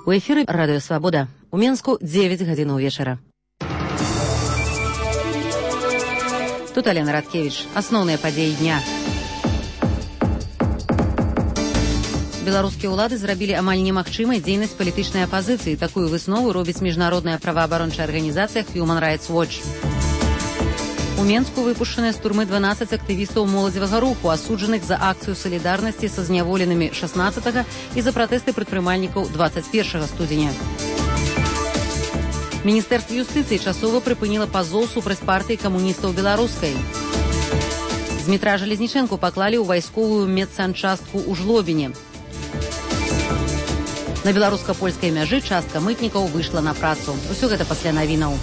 У эфіры Радыё Свабода. У Менску 9 гадзінаў вечара. Тут Алена Радкевіч. Асноўныя падзеі дня. Беларускія ўлады зрабілі амаль немагчымай дзейнасць палітычнай апазіцыі. Такую выснову робіць міжнародная праваабарончая арганізацыя Human Rights Watch. У Менску выпушчаныя з турмы 12 актывістаў моладзевага руху, асуджаных за акцыю салідарнасці са зняволенымі 16 і за пратэсты прадпрымальнікаў 21 студзеня. Міністэрства юстыцыі часова прыпыніла пазоў супраць партыі камуністаў беларускай. Змітра Жалезнічэнку паклалі ў вайсковую медсанчастку ў Жлобіне. На беларуска-польскай мяжы частка мытнікаў выйшла на працу. Усё гэта пасля навінаў.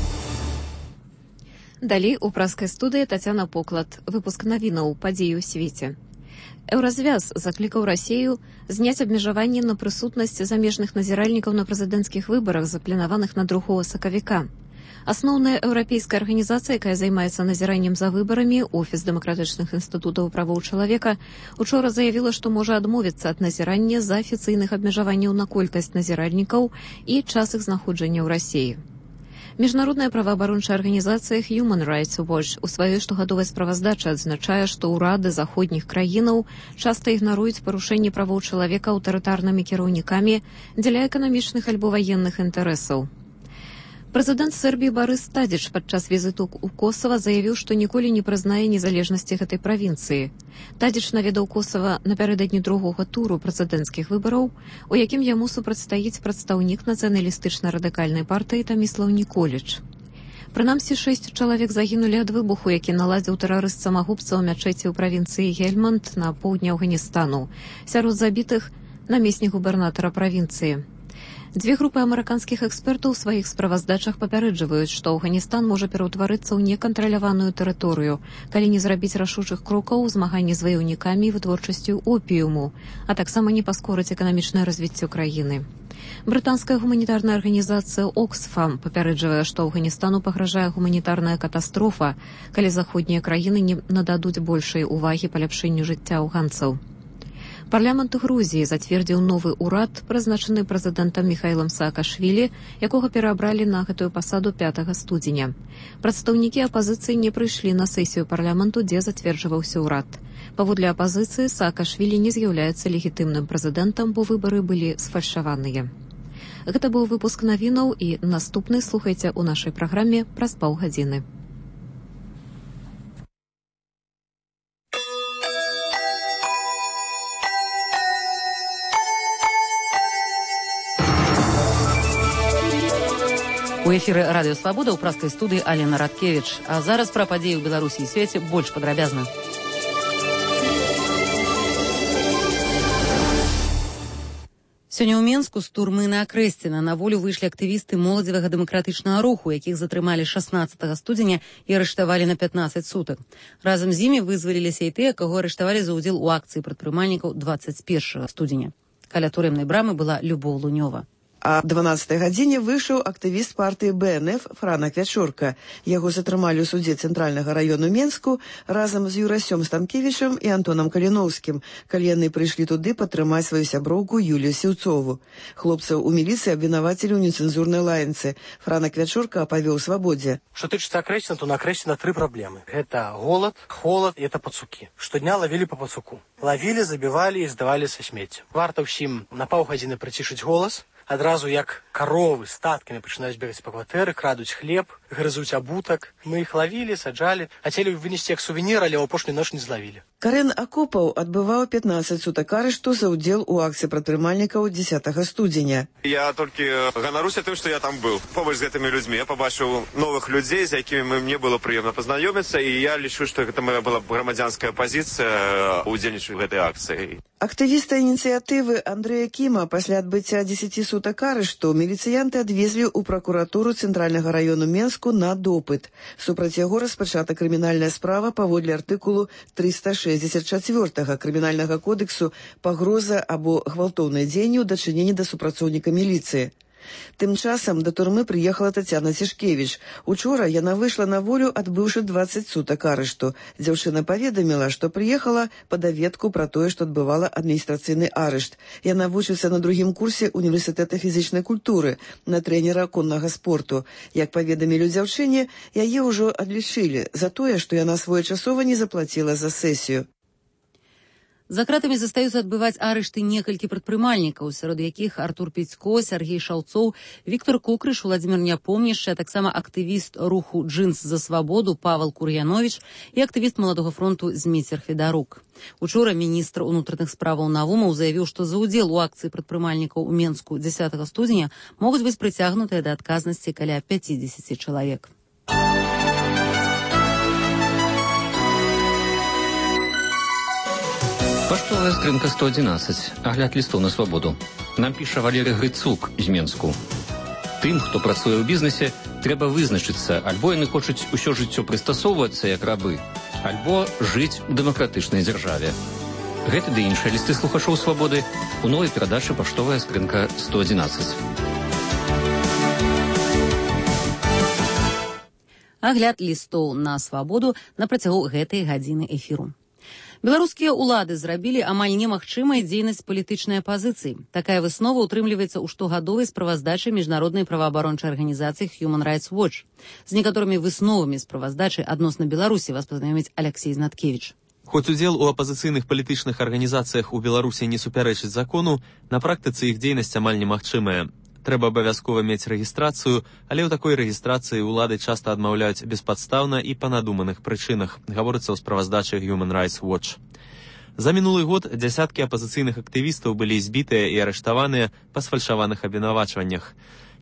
Далей у праскай студыі Тацяна Поклад. Выпуск навінаў падзеі ў свеце. Еўразвяз заклікаў Расію зняць абмежаванні на прысутнасць замежных назіральнікаў на прэзідэнцкіх выбарах, запланаваных на 2 сакавіка. Асноўная еўрапейская арганізацыя, якая займаецца назіраннем за выбарамі, Офіс дэмакратычных інстытутаў правоў чалавека, учора заявіла, што можа адмовіцца ад назірання з-за афіцыйных абмежаванняў на колькасць назіральнікаў і час іх знаходжання ў Расіі. Міжнародная праваабарончая арганізацыя Human Rights Watch у сваёй штогадовай справаздачы адзначае, што ўрады заходніх краінаў часта ігнаруюць парушэнні правоў чалавека аўтарытарнымі кіраўнікамі дзеля эканамічных альбо ваенных інтарэсаў. Прэзідэнт Сербіі Барыс Тадзіч падчас візіту ў Косава заявіў, што ніколі не прызнае незалежнасці гэтай правінцыі. Тадзіч наведаў Косава напярэдадні другога туру прэзідэнцкіх выбараў, у якім яму супрацьстаіць прадстаўнік нацыяналістычна-радыкальнай партыі Таміслаў Ніколіч. Прынамсі 6 чалавек загінулі ад выбуху, які наладзіў тэрарыст-самагубца ў мячэці ў правінцыі Гельманд на поўдні Афганістану. Сярод забітых намеснік губернатара правінцыі. Дзве групы амерыканскіх экспертаў у сваіх справаздачах папярэджваюць, што Афганістан можа пераўтварыцца ў некантраляваную тэрыторыю, калі не зрабіць рашучых крокаў у змаганні з ваяўнікамі і вытворчасцю опіуму, а таксама не паскорыць эканамічнае развіццё краіны. Брытанская гуманітарная арганізацыя Оксфам папярэджвае, што Афганістану пагражае гуманітарная катастрофа, калі заходнія краіны не нададуць большай увагі паляпшэнню жыцця афганцаў. Парламент Грузіі зацвердзіў новы ўрад, прызначаны прэзідэнтам Міхаілам Саакашвілі, якога пераабралі на гэтую пасаду 5 студзеня. Прадстаўнікі апазіцыі не прыйшлі на сесію парламенту, дзе зацверджваўся ўрад. Паводле апазіцыі Саакашвілі не з'яўляецца легітымным прэзідэнтам, бо выбары былі сфальшаваныя. Гэта быў выпуск навінаў, і наступны слухайце ў нашай праграме праз паўгадзіны. У эфіры Радыё Свабода ў праскай студыі Алена Радкевіч. А зараз пра падзеі ў Беларусі і свеце больш падрабязна. Сёння ў Менску з турмы на Акрэсціна на волю выйшлі актывісты моладзевага дэмакратычнага руху, якіх затрымалі 16 студзеня і арыштавалі на 15 сутак. Разам з імі вызваліліся і тыя, каго арыштавалі за ўдзел у акцыі прадпрымальнікаў 21 студзеня. Каля турэмнай брамы была Любоў Лунёва. А 12 гадзіне выйшаў актывіст партыі БНФ Франак Вячорка. Яго затрымалі ў судзе Цэнтральнага раёну Менску разам з Юрасём Стамкевічам і Антонам Каліноўскім, калі яны прыйшлі туды падтрымаць сваю сяброўку Юлію Сіўцову. Хлопцаў у міліцыі абвінавацілі ў нецэнзурнай лаянцы. Франак Вячорка апавёў Свабодзе. Што тычыцца Акрэсціна, то на Акрэсціна 3 праблемы. Гэта голад, холад і это пацукі. Штодня лавілі па пацуку. Лавілі, забівалі і здавалі са смеццем. Варта ўсім на паўгадзіны прыцішыць голас. Адразу як каровы статкамі пачынаюць бегаць па кватэры, крадуць хлеб, грызуць абутак. Мы іх лавілі, саджалі, хацелі вынесці як сувенір, але ў апошнюю ноч не злавілі. Карэн Акопаў адбываў 15 сутак арышту за ўдзел у акцыі прадпрымальнікаў 10 студзеня. Я толькі ганаруся тым, што я там быў. Побач з гэтымі людзьмі я пабачыў новых людзей, з якімі мне было прыемна пазнаёміцца, і я лічу, што гэта моя была грамадзянская пазіцыя удзельнічаць у гэтай акцыі. Актывіста ініцыятывы Андрэя Кіма пасля адбыцця 10 сутак арышту міліцыянты адвезлі ў пракуратуру Цэнтральнага раёну Менску на допыт. Супраць яго распачата крымінальная справа паводле артыкулу 364 крымінальнага кодексу пагроза або гвалтоўнае дзеянне ў дачыненні да супрацоўніка міліцыі. Тым часам да турмы прыехала Тацяна Цішкевіч. Учора яна выйшла на волю, адбыўшы 20 сутак арышту. Дзяўчына паведаміла, што прыехала па даведку пра тое, што адбывала адміністрацыйны арышт. Яна вучыцца на другім курсе універсітэта фізічнай культуры, на трэнера коннага спорту. Як паведамілі дзяўчыне, яе ўжо адлічылі за тое, што яна своечасова не заплаціла за сесію. За кратамі застаюцца адбываць арышты некалькі прадпрымальнікаў, сярод якіх Артур Пецько, Сергей Шаўцоў, Віктор Кукрыш, Владзімір Няпомнішчы, а таксама актывіст руху «Джинс за свабоду» Павел Кур'яновіч і актывіст Маладога фронту Зміцер Федарук. Учора міністр унутраных справаў Навумаў заявіў, што за ўдзел у акцыі прадпрымальнікаў у Менску 10 студзеня могуць быць прыцягнутыя да адказнасці каля 50 чалавек. Паштовая скрынка 111. Агляд лістоў на свабоду. Нам піша Валерый Грыцук з Менску. Тым, хто працуе ў бізнесе, трэба вызначыцца, альбо яны хочуць усё жыццё прыстасоўвацца як рабы, альбо жыць у дэмакратычнай дзяржаве. Гэты ды іншыя лісты слухачоў свабоды у новай перадачы «Паштовая скрынка 111». Агляд лістоў на свабоду на працягу гэтай гадзіны эфіру. Беларускія ўлады зрабілі амаль немагчымай дзейнасць палітычнай апазіцыі. Такая выснова ўтрымліваецца ў штогадовай справаздачы міжнароднай праваабарончай арганізацыі Human Rights Watch. З некаторымі высновамі справаздачы адносна Беларусі вас пазнаёміць Алексей Знаткевіч. Хоць удзел у апазіцыйных палітычных арганізацыях у Беларусі не супярэчыць закону, на практыцы іх дзейнасць амаль немагчымая. Трэба абавязкова мець рэгістрацыю, але ў такой рэгістрацыі ўлады часта адмаўляюць беспадстаўна і па надуманых прычынах, гаворыцца ў справаздачы Human Rights Watch. За мінулы год дзясяткі апазіцыйных актывістаў былі збітыя і арыштаваныя па сфальшаваных абвінавачваннях.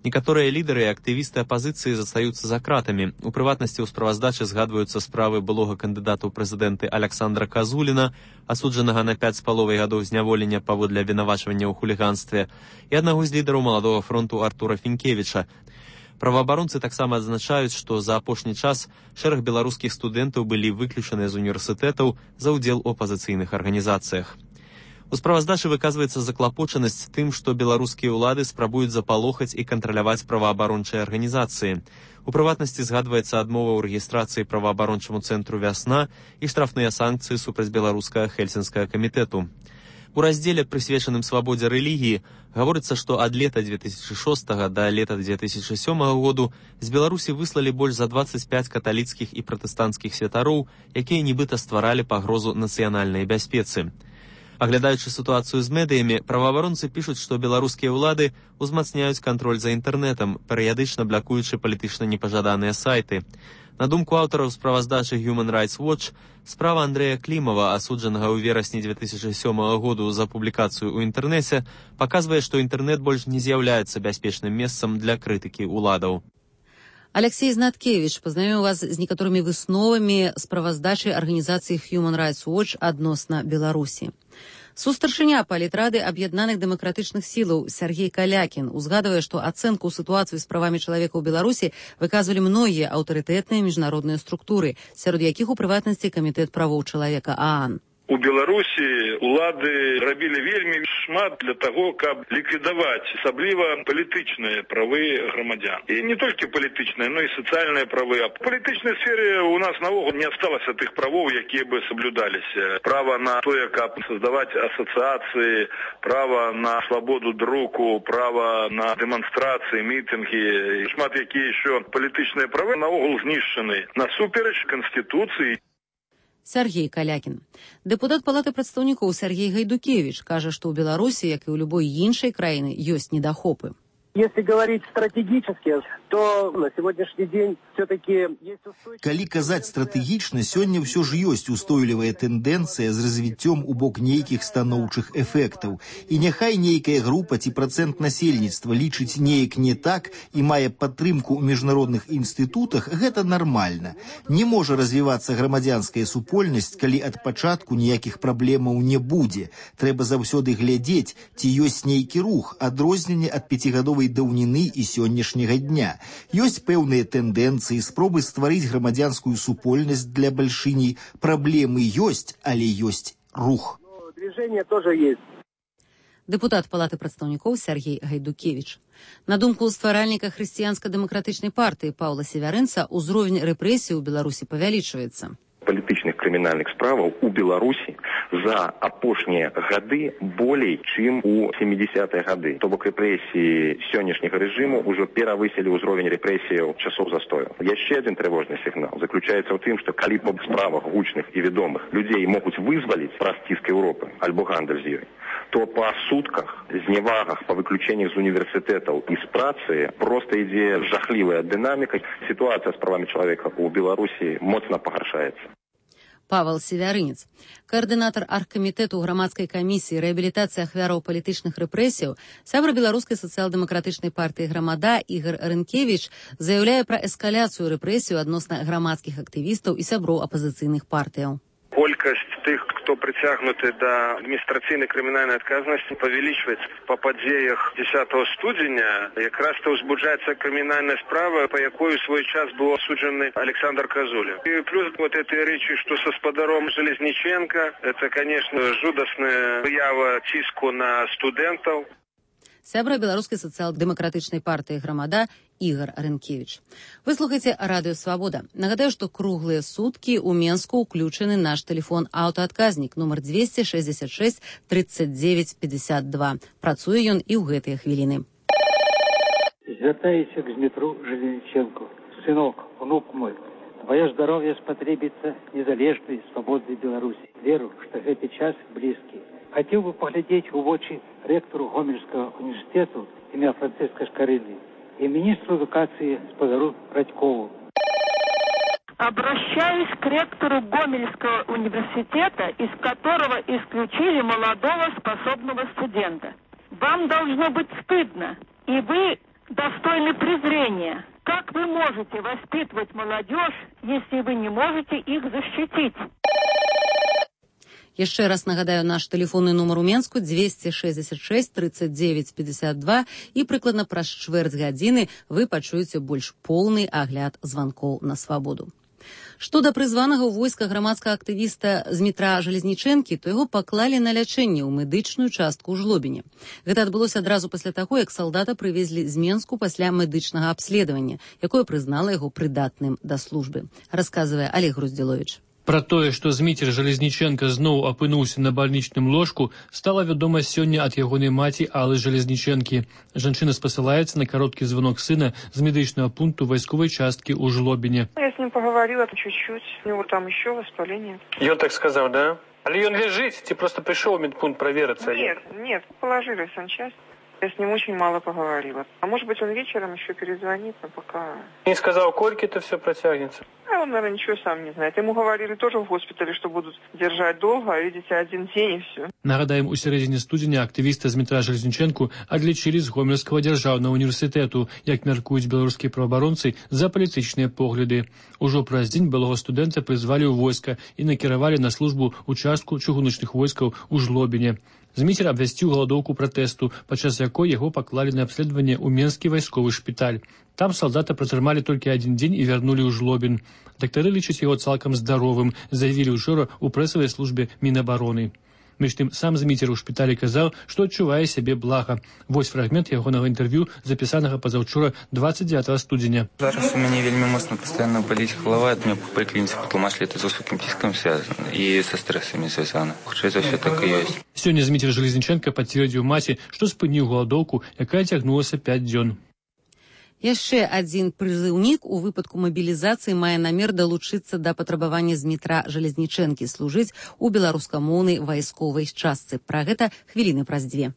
Некаторыя лідары і актывісты апазіцыі застаюцца за кратамі. У прыватнасці ў справаздачы згадваюцца справы былога кандыдата ў прэзідэнты Аляксандра Казуліна, асуджанага на 5,5 гадоў зняволення паводле абвінавачвання ў хуліганстве, і аднаго з лідараў Маладога фронту Артура Фінкевіча. Праваабаронцы таксама адзначаюць, што за апошні час шэраг беларускіх студэнтаў былі выключаныя з універсітэтаў за ўдзел у апазіцыйных арганізацыях. У справаздачы выказваецца заклапочанасць тым, што беларускія ўлады спрабуюць запалохаць і кантраляваць праваабарончыя арганізацыі. У прыватнасці згадваецца адмова ў рэгістрацыі праваабарончаму цэнтру «Вясна» і штрафныя санкцыі супраць беларускага Хельсінскага камітэту. У раздзеле, прысвечаным свабодзе рэлігіі, гаворыцца, што ад лета 2006 да лета 2007 году з Беларусі выслалі больш за 25 каталіцкіх і пратэстанцкіх святароў, якія нібыта стваралі пагрозу нацыянальнай бяспецы. Аглядаючы сітуацыю з медыямі, праваабаронцы пішуць, што беларускія ўлады ўзмацняюць кантроль за інтэрнэтам, перыядычна блакуючы палітычна непажаданыя сайты. На думку аўтараў справаздачы Human Rights Watch, справа Андрэя Клімава, асуджанага ў верасні 2007 году за публікацыю ў інтэрнэце, паказвае, што інтэрнэт больш не з'яўляецца бяспечным месцам для крытыкі ўладаў. Алексей Знаткевіч пазнаёміў вас з некаторымі высновамі справаздачы арганізацыі Human Rights Watch адносна Беларусі. Сустаршыня палітрады аб'яднаных дэмакратычных сілаў Сергей Калякін узгадвае, што ацэнку сітуацыі з правамі чалавека ў Беларусі выказвалі многія аўтарытэтныя міжнародныя структуры, сярод якіх у прыватнасці камітэт правоў чалавека ААН. У Беларусі улады рабілі вельмі шмат для таго, каб ліквідаваць асабліва палітычныя правы грамадзян. І не толькі палітычныя, но і сацыяльныя правы. А в палітычнай сфере у нас наогул не асталася тых правоў, якія бы соблюдаліся. Права на тое, каб создаваць асацыяцыі, права на свабоду друку, права на дэманстрацыі, мітынгі. Шмат якія еще палітычныя правы наогул знішчаны насуперач Канстытуцыі. Сергей Калякін. Дэпутат Палаты прадстаўнікоў Сергей Гайдукевіч кажа, што ў Беларусі, як і ў любой іншай краіны, ёсць недахопы. Если говорить стратегически, то на сегодняшний день все-таки есть устойчивость. Калі казаць стратэгічна, сёння ўсё ж ёсць устойлівая тэндэнцыя з развіццём у бок нейкіх станоўчых эфектаў. І няхай нейкая група ці працэнт насельніцтва лічыць неяк не так і мае падтрымку ў міжнародных інстытутах, гэта нармальна. Не можа развівацца грамадзянская супольнасць, калі ад пачатку ніякіх праблемаў не будзе. Трэба заўсёды глядзець, ці ёсць нейкі рух, адрозненне ад пяцігадовай даўніны і сённяшняга дня. Ёсць пэўныя тэндэнцыі, спробы стварыць грамадзянскую супольнасць для бальшыні. Праблемы ёсць, але ёсць рух. Движение тоже есть. Дэпутат Палаты прадстаўнікоў Сергей Гайдукевіч. На думку стваральніка хрысціянска-дэмакратычнай партыі Паўла Севярынца, узровень рэпрэсій у Беларусі павялічваецца. Палітычных крымінальных справаў у Беларусі за апошнія гады болей, чым у 70-е гады. То бок рэпрэсіі сённяшняга рэжыму ўжо перавысілі ўзровень рэпрэсіяў часоў застою. Яшчэ адзін трывожны сігнал заключаецца ў тым, што калі па справах гучных і вядомых людзей могуць вызваліць праз ціск Еўропы альбо гандаль з ёй, то па сутках, зневагах, па выключэннях з універсітэтаў і з працы проста ідзе жахлівая дынаміка. Сітуацыя з правамі чалавека ў Беларусі моцна пагаршаецца. Павел Севярынец, координатор аргкамітэту грамадскай камісіі рэабілітацыі ахвяраў палітычных рэпрэсіяў, сябра беларускай сацыял-дэмакратычнай партыі «Грамада» Ігор Рынкевіч заяўляе пра эскаляцыю рэпрэсію адносна грамадскіх актывістаў і сяброў апазіцыйных партыяў. Колькасць тых, хто прыцягнуты да адміністрацыйнай крымінальнай адказнасці, павялічваецца. Па падзеях 10 студзеня якраз-то ўзбуджаецца крымінальная справа, па якой у свой час быў асуджаны Александр Казуля. І плюс вот этой рэчы, што са спадаром Железніченка, это, конечно, жудасная выява ціску на студэнтаў. Сябра беларускай сацыял-дэмакратычнай партыі «Грамада» Ігор Рынкевіч. Вы слухаеце Радыё Свабода. Нагадаю, што круглыя суткі ў Менску ўключаны наш тэлефон аўтаадказнік нумар 266 39 52. Працуе ён і ў гэтыя хвіліны. Звяртаюся к Дмитру Железніченку. Сынок, внук мой, твое здоровье спотребится незалежной, свободной Беларуси. Веру, что гэты час близкий. Хотел бы поглядеть в очи ректору Гомельского университета имя Франциска Шкарыльни и министру эдукации Сподару Радькову. Обращаюсь к ректору Гомельского университета, из которого исключили молодого способного студента. Вам должно быть стыдно, и вы достойны презрения. Как вы можете воспитывать молодежь, если вы не можете их защитить? Яшчэ раз нагадаю, наш тэлефонны нумар у Менску 266 39 52 і прыкладна праз чвэрць гадзіны вы пачуеце больш поўны агляд званкоў на свабоду. Што да прызванага ў войска грамадскага актывіста Дмітра Железнічэнкі, то яго паклалі на лячэнне ў медычную частку ў Жлобіне. Гэта адбылося адразу пасля таго, як салдата прывезлі з Менску пасля медычнага абследавання, якое прызнала яго прыдатным да службы. Расказвае Олег Груздзіловіч. Пра тое, што Зміцер Железніченка зноў апынуўся на бальнічным ложку, стала вядома сёння ад ягонай маці Аллы Железніченкі. Жанчына спасылаецца на кароткі звонок сына з медычнага пункту вайсковай часткі ў Жлобіне. Я с ним поговорила чуть-чуть, у него там еще воспаление. Ён так сказал, да? Але ён ляжыць, ці просто пришел в медпункт провериться? Нет, положили в санчасть. Я с ним очень мало поговорила. А может быть, он вечером еще перезвонит, но пока... Не сказал, сколько это все протянется? А он, наверное, ничего сам не знает. Ему говорили тоже в госпитале, что будут держать долго, а видите, один день и все. Нагадаем, у сярэдзіне студзеня актывіста Дмітра Железніченку адлічылі з Гомельскага дзяржаўнага універсітэту, як мяркуюць беларускія праваабаронцы, за палітычныя погляды. Ужо праз дзень былога студэнта прызвалі ў войска і накіравалі на службу ў частку чыгуначных войскаў у Жлобіне. Зміцер абвясціў галадоўку пратэсту, падчас якой яго паклалі на абследаванне ў Менскі вайсковы шпіталь. Там салдата пратрымалі толькі адзін дзень і вярнулі ў Жлобін. Дактары лічаць яго цалкам здаровым, заявілі учора ў прэсавай службе Мінабароны. Між тым, сам Зміцер у шпіталі казаў, што адчувае сябе блага. Вось фрагмент ягонага інтэрв'ю, запісанага пазаўчора 29 студзеня. Зараз у мяне вельмі моцна пастаянна баліць галава, ад мяне па паліклініцы патлумачылі, это з высокім ціскам звязана і са стрэсамі звязана. Хутчэй за ўсё так і ёсць. Сёння Дмітр Железніченка пацвердзіў маці, што спыніў галадоўку, якая цягнулася 5 дзён. Яшчэ адзін прызыўнік у выпадку мабілізацыі мае намер далучыцца да патрабавання Дмітра Железнічэнкі служыць у беларускамоўнай вайсковай частцы. Пра гэта хвіліны праз 2.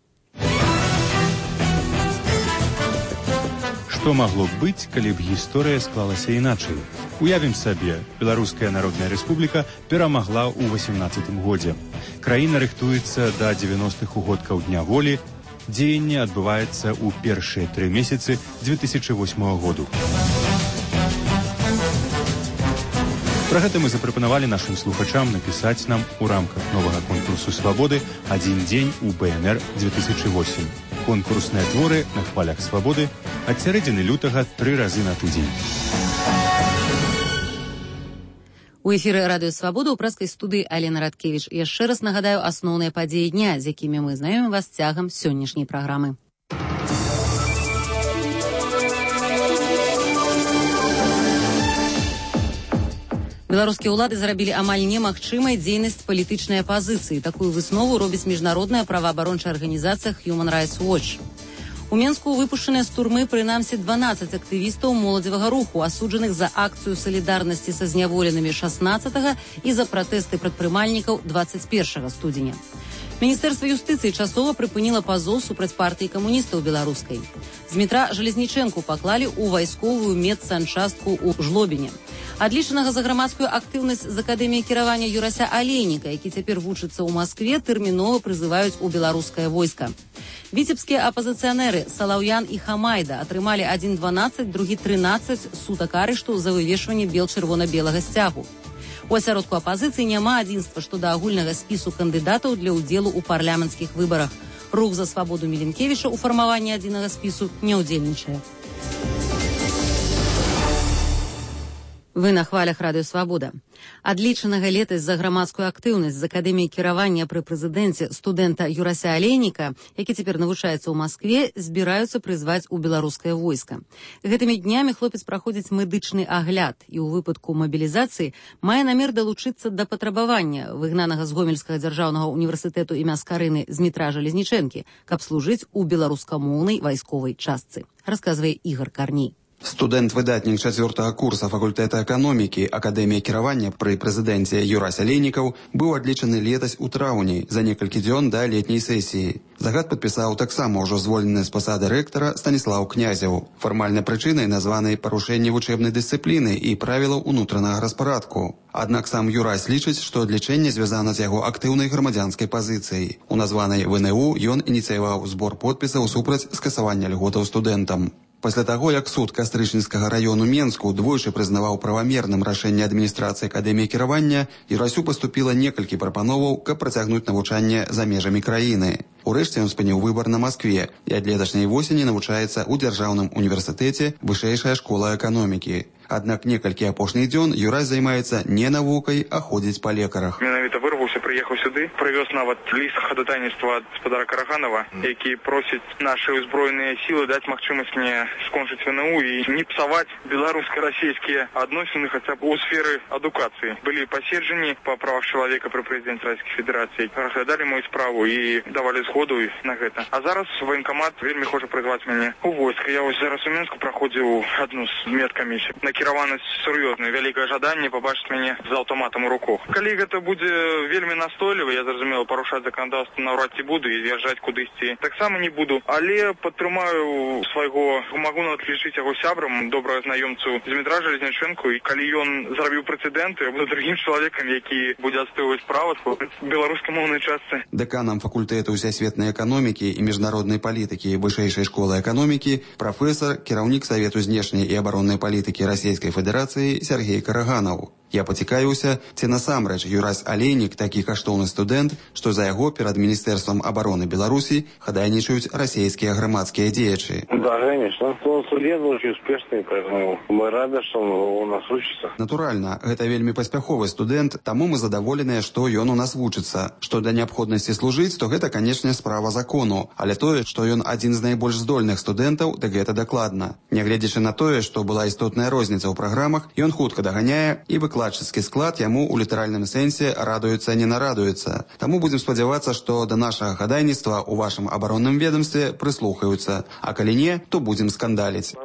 Што магло б быць, калі б гісторыя склалася іначай? Уявім сабе, Беларуская Народная Рэспубліка перамагла ў 18 годзе. Краіна рыхтуецца да 90-х угодкаў Дня волі, дзеянне адбываецца ў першыя 3 месяцы 2008 году. Пра гэта мы запрапанавалі нашым слухачам напісаць нам у рамках новага конкурсу «Свабоды» «Адзін дзень у БНР 2008». Конкурсныя творы на хвалях свабоды ад сярэдзіны лютага 3 разы на тыдзень. У эфіры радыё Свабода ў прэскай студыі Алена Радкевіч. Яшчэ раз нагадаю асноўныя падзеі дня, з якімі мы знаёмім вас цягам сённяшняй праграмы. Беларускія ўлады зрабілі амаль немагчымай дзейнасць палітычнай апазіцыі. Такую выснову робіць міжнародная праваабарончая арганізацыя Human Rights Watch. У Менску выпушчаныя з турмы прынамсі 12 актывістаў моладзевага руху, асуджаных за акцыю салідарнасці са зняволенымі 16 і за пратэсты прадпрымальнікаў 21 студзеня. Міністэрства юстыцыі часова прыпыніла пазоў супраць партыі камуністаў беларускай. Змітра Жалезнічэнку паклалі ў вайсковую медсанчастку ў Жлобіне. Адлічанага за грамадскую актыўнасць з акадэміі кіравання Юрася Алейніка, які цяпер вучыцца ў Маскве, тэрмінова прызываюць у беларускае войска. Віцебскія апазіцыянеры Салаўян і Хамайда атрымалі адзін 12, другі 13 сутак арышту за вывешванне бел-чырвона-белага сцягу. У асяродку апазіцыі няма адзінства што да агульнага спісу кандыдатаў для ўдзелу ў парламенцкіх выбарах. Рух за свабоду Міленкевіча ў фармаванні адзінага спісу не ўдзельнічае. Вы на хвалях радыё Свабода. Адлічанага летась за грамадскую актыўнасць з акадэміі кіравання пры прэзідэнце студэнта Юрася Алейніка, які цяпер навучаецца ў Маскве, збіраюцца прызваць у беларускае войска. Гэтымі днямі хлопец праходзіць медычны агляд і ў выпадку мабілізацыі мае намер далучыцца да патрабавання выгнанага з Гомельскага дзяржаўнага універсітэту імя Скарыны Змітра Жалезнічэнкі, каб служыць у беларускамоўнай вайсковай частцы, расказвае Ігор Карней. Студэнт-выдатнік 4-го курса факультэта эканомікі Акадэміі кіравання пры прэзідэнце Юрась Алейнікаў быў адлічаны летась у траўні за некалькі дзён да летняй сесіі. Загад падпісаў таксама ўжо звольнены з пасады рэктара Станіслаў Князеў. Фармальнай прычынай названы парушэнне вучэбнай дысцыпліны і правілаў унутранага распарадку. Аднак сам Юрась лічыць, што адлічэнне звязана з яго актыўнай грамадзянскай пазіцыяй. У названай ВНУ ён ініцыяваў збор подпісаў супраць скасавання льготаў студэнтам. Пасля таго, як суд Кастрычніцкага раёну Менску двойчы прызнаваў правамерным рашэнне адміністрацыі акадэміі кіравання, Юрасю паступіла некалькі прапановаў, каб працягнуць навучанне за межамі краіны. Урэшце ён спыніў выбар на Маскве і ад леташняй восені навучаецца ў дзяржаўным універсітэце Вышэйшая школа эканомікі. Аднак некалькі апошніх дзён Юрась займаецца не навукай, а ходзіць па лекарах. Менавіта вырваўся, прыехаў сюды, прывёз нават ліст хадатайніцтва ад гаспадара Караганова, які просіць нашы ўзброеныя сілы даць магчымасць мне скончыць ВНУ і не псаваць беларуска-расійскія адносіны хаця б у сферы адукацыі. Былі паседжанні па правах чалавека пры прэзідэнце Расійскай Федэрацыі, разглядалі мою справу і давалі згоду на гэта. А зараз военкамат вельмі хоча прызваць мяне у войска. Я вось зараз у Менску праходзіў адну з медкамісій. Накіраванасць сур'ёзная, вялікае жаданне пабачыць мяне з аўтаматам у руках. Калі гэта будзе вельмі настойліва, я зразумела, парушаць заканадаўства наўрад ці буду і з'язджаць кудысьці таксама не буду, але падтрымаю свайго, магу нават лічыць яго сябрам, добрага знаёмцу Змітра Жалезнічэнку, і калі ён зрабіў прэцэдэнт, я буду другім чалавекам, які будзе адстойваць права беларускамоўнай частцы. Дэканам факультэту сусветнай эканомікі і міжнароднай палітыкі Вышэйшай школы эканомікі прафесар, кіраўнік Савету знешняй і абароннай палітыкі Расійскай Федэрацыі Сергей Караганаў. Я пацікаюся, ці насамрэч Юрась Алейнік такі каштоўны студэнт, што за яго перад Міністэрствам абароны Беларусі хадайнічаюць расійскія грамадскія дзеячы. Да, конечно. Он студент очень успешный, поэтому мы рады, что он у нас учится. Натуральна, гэта вельмі паспяховы студэнт, таму мы задаволеныя, што ён у нас вучыцца. Што да неабходнасці служыць, то гэта, канечне, справа закону. Але тое, што ён адзін з найбольш здольных студэнтаў, дык гэта дакладна. Нягледзячы на тое, што была істотная розніца ў праграмах, ён хутка даганяе і выкладчыцкі склад яму ў літаральным сэнсе радуецца не нарадуецца. Таму будзем спадзявацца, што да нашага хадайніцтва ў вашым абаронным ведомстве прыслухаюцца. А калі не, то будзем скандаліць.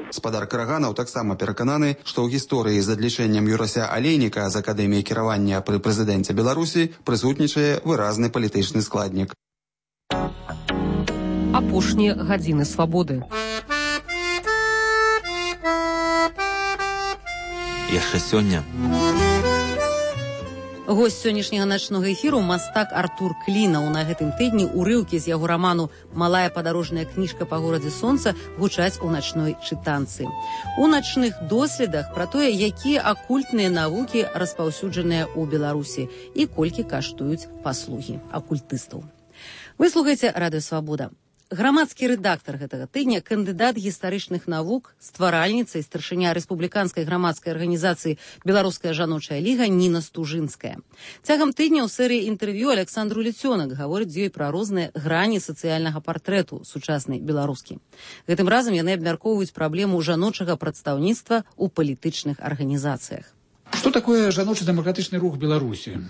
Гаспадар Караганаў таксама перакананы, што ў гісторыі з адлічэннем Юрася Алейніка з акадэміі кіравання пры прэзідэнце Беларусі прысутнічае выразны палітычны складнік. Апошнія гадзіны свабоды. Яшчэ сёння. Госць сённяшняга начнога эфіру мастак Артур Клінаў. На гэтым тыдні урыўкі з яго раману «Малая падарожная кніжка па горадзе сонца» гучаць у начной чытанцы. У начных доследах пра тое, якія акультныя навукі распаўсюджаныя ў Беларусі і колькі каштуюць паслугі акультыстаў. Вы слухаеце радыё Свабода. Грамадскі рэдактар гэтага тыдня, кандыдат гістарычных навук, стваральніца і старшыня рэспубліканскай грамадскай арганізацыі «Беларуская жаночая ліга» Ніна Стужынская. Цягам тыдня ў серыі інтэрв'ю Александру Ліцёнак гаворыць з ёй пра розныя грані сацыяльнага партрэту сучаснай беларускі. Гэтым разам яны абмяркоўваюць праблему жаночага прадстаўніцтва ў палітычных арганізацыях. Что такое жаночы дэмакратычны рух Беларусі?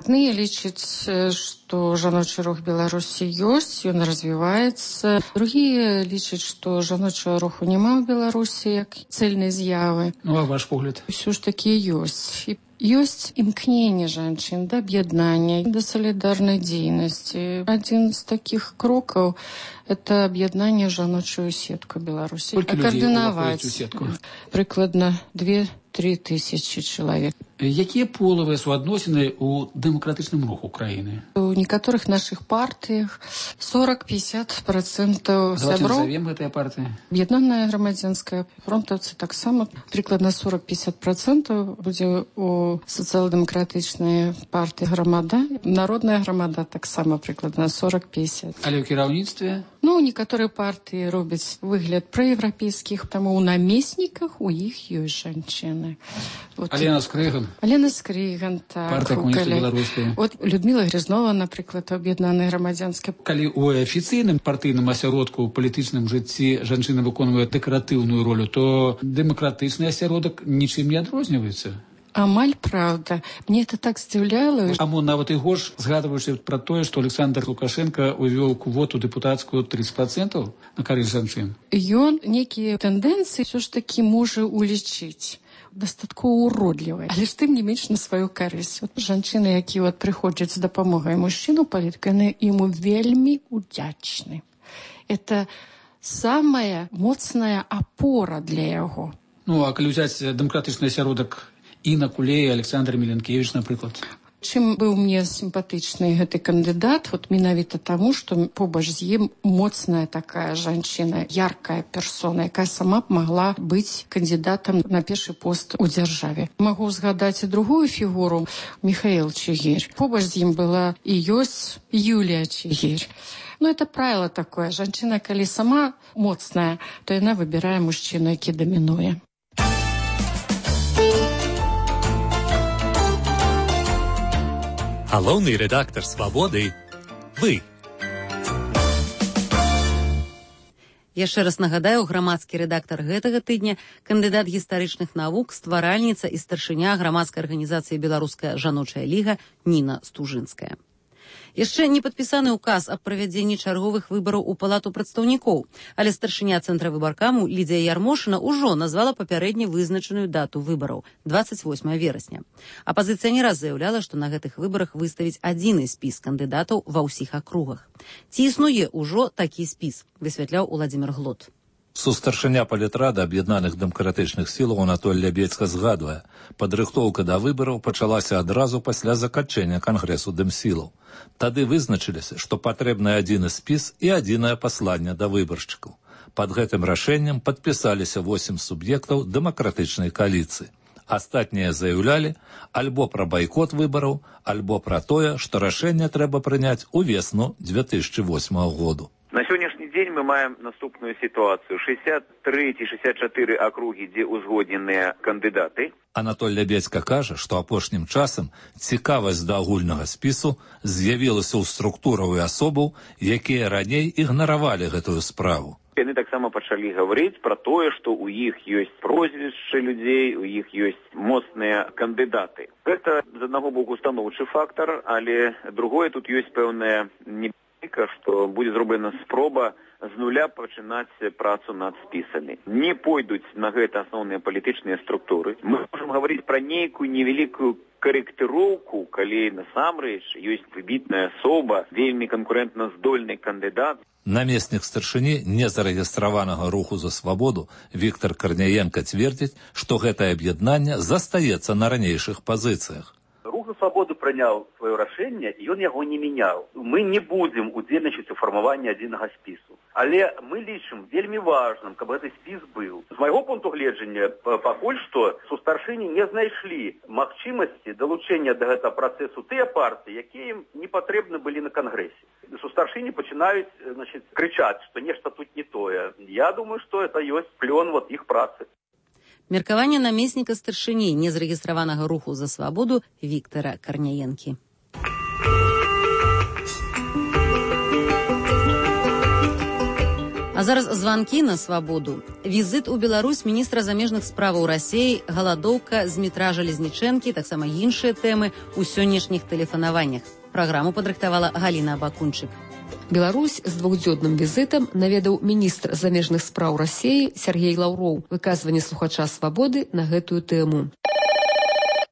Адныя лічаць, што жаночы рух Беларусі ёсць, ён развіваецца. Другія лічаць, што жаночага руху няма ў Беларусі як цэльнай з'явы. Ну, а ваш погляд? Усё ж такі ёсць. І ёсць імкненне жанчын да аб'яднання, да салідарнай дзейнасці. Адзін з такіх крокаў – это аб'яднанне жаночую сетку Беларусі. Колькі людзей уваходзіць у сетку? Прыкладна 2-3 тысячи чалавек. Якія полавыя суадносіны ў дэмакратычным руху краіны? У некаторых нашых партыях 40-50% сяброў. Давайте назовем гэтыя партыі. Аб'яднаная грамадзянская, фронтаўцы таксама прыкладна 40-50% будзе у сацыял-дэмакратычнай партыі грамада. Народная грамада таксама прыкладна 40-50. Але ў кіраўніцтве? Ну, некаторыя партыі робяць выгляд праеўрапейскіх, таму ў намесніках у іх ёсць жанчыны. Вот. Алена Скрыган. Алена Скрыган, так. Партыя камуністаў беларускай. От Людмила Грязнова, напрыклад, аб'яднаная грамадзянская. Калі ў афіцыйным партыйным асяродку ў палітычным жыцці жанчына выконвае дэкаратыўную ролю, то дэмакратычны асяродак нічым не адрозніваецца. Амаль правда. Мне это так здзіўляла. А мо нават і горш, згадваючы пра тое, што Александр Лукашенко увёў квоту дэпутацкую 30% на карысць жанчын. Ён некія тэндэнцыі ўсё ж такі можа улічыць. Дастаткова уродлівая, але ж тым не менш на сваю карысць. От жанчыны, якія прыходзяць з дапамогай мужчыну палітыка, яны яму вельмі удзячны. Это самая моцная апора для яго. Ну, а калі ўзяць дэмакратычны асяродак Інна Кулей, Александр Міленкевіч, напрыклад. Чым быў мне сімпатычны гэты кандыдат, вот менавіта таму, што побач з ім моцная такая жанчына, яркая персона, якая сама б магла быць кандыдатам на першы пост у дзяржаве. Магу згадаць і другую фігуру, Михаил Чигирь. Побач з ім была і ёсць Юлія Чигирь. Ну, это правило такое. Жанчына, калі сама моцная, то яна выбірае мужчыну, які дамінуе. Галоўны рэдактар «Свабоды» – вы. Яшчэ раз нагадаю, грамадскі рэдактар гэтага тыдня, кандыдат гістарычных навук, стваральніца і старшыня грамадскай арганізацыі «Беларуская жаночая ліга» Ніна Стужынская. Яшчэ не падпісаны ўказ аб правядзенні чарговых выбараў у палату прадстаўнікоў, але старшыня цэнтра выбаркаму Лідзія Ярмошына ўжо назвала папярэдне вызначаную дату выбараў – 28 верасня. Апазіцыя не раз заяўляла, што на гэтых выбарах выставіць адзіны спіс кандыдатаў ва ўсіх акругах. Ці існуе ўжо такі спіс, высвятляў Уладзімір Глот. Сустаршыня палітрада аб'яднаных дэмакратычных сілаў Анатоль Лябедзька згадвае, падрыхтоўка да выбараў пачалася адразу пасля заканчэння кангрэсу дэмсілаў. Тады вызначыліся, што патрэбны адзіны спіс і адзінае пасланне да выбаршчыкаў. Пад гэтым рашэннем падпісаліся 8 суб'ектаў дэмакратычнай кааліцыі. Астатнія заяўлялі альбо пра байкот выбараў, альбо пра тое, што рашэнне трэба прыняць у весну 2008 году. На сённяшні дзень мы маем наступную сітуацыю. 63-64 акругі, дзе ўзгодненыя кандыдаты. Анатоль Лябедзька кажа, што апошнім часам цікавасць да агульнага спісу з'явілася ў структураў і асобаў, якія раней ігнаравалі гэтую справу. Яны таксама пачалі гаварыць пра тое, што ў іх ёсць прозвішчы людзей, у іх ёсць моцныя кандыдаты. Гэта, з аднаго боку, станоўчы фактар, але другое, тут ёсць пэўная небяспека, што будзе зроблена спроба з нуля пачынаць працу над спісамі. Не пойдуць на гэта асноўныя палітычныя структуры. Мы можам гаварыць пра нейкую невялікую карэктыроўку, калі насамрэч ёсць выбітная асоба, вельмі канкурэнтна здольны кандыдат. Намеснік старшыні незарэгістраванага руху за свабоду Віктор Карняенка цвердзіць, што гэтае аб'яднанне застаецца на ранейшых пазіцыях. Рух за свабоду прыняў сваё рашэнне, і ён яго не мяняў. Мы не будзем удзельнічаць у фармаванні адзінага спісу. Але мы лічым вельмі важным, каб гэты спіс быў. З майго пункту гледжання, пакуль што сустаршыні не знайшлі магчымасці далучэння да гэтага працэсу тыя партыі, якія ім не патрэбны былі на кангрэсе. старшыні пачынаюць, крычаць, што нешта тут не тое. Я думаю, што это ёсць плён іх працы. Меркаванне намесніка старшыні незарэгістраванага руху за свабоду Віктара Карняенкі. А зараз званкі на свабоду. Візит у Беларусь міністра замежных справаў Расіі, галадоўка з метра Жалезнічэнкі, таксама іншыя тэмы ў сённяшніх тэлефанаваннях. Праграму падрыхтавала Галіна Абакунчык. Беларусь з двухдзённым візітам наведаў міністр замежных спраў Расіі Сергей Лаўроў. Выказванне слухача свабоды на гэтую тэму.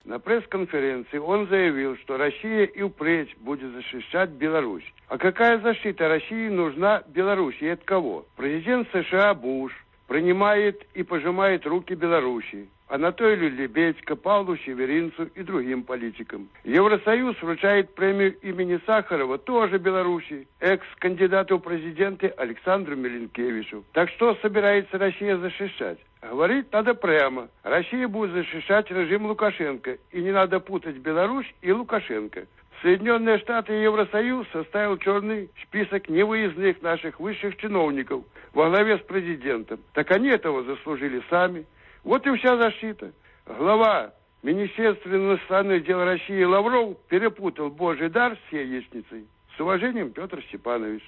На пресс-конференции он заявил, что Россия и впредь будет защищать Беларусь. А какая защита России нужна Беларуси и от кого? Президент США Буш принимает и пожимает руки Беларуси. Анатолию Лебедько, Павлу Северинцу и другим политикам. Евросоюз вручает премию имени Сахарова тоже Беларуси, экс-кандидату в президенты Александру Миленкевичу. Так что собирается Россия защищать? Говорить надо прямо. Россия будет защищать режим Лукашенко. И не надо путать Беларусь и Лукашенко. Соединенные Штаты и Евросоюз составил черный список невыездных наших высших чиновников во главе с президентом. Так они этого заслужили сами. Вот и вся защита. Глава Министерства иностранных дел России Лавров перепутал Божий дар с яичницей. С уважением, Петр Степанович.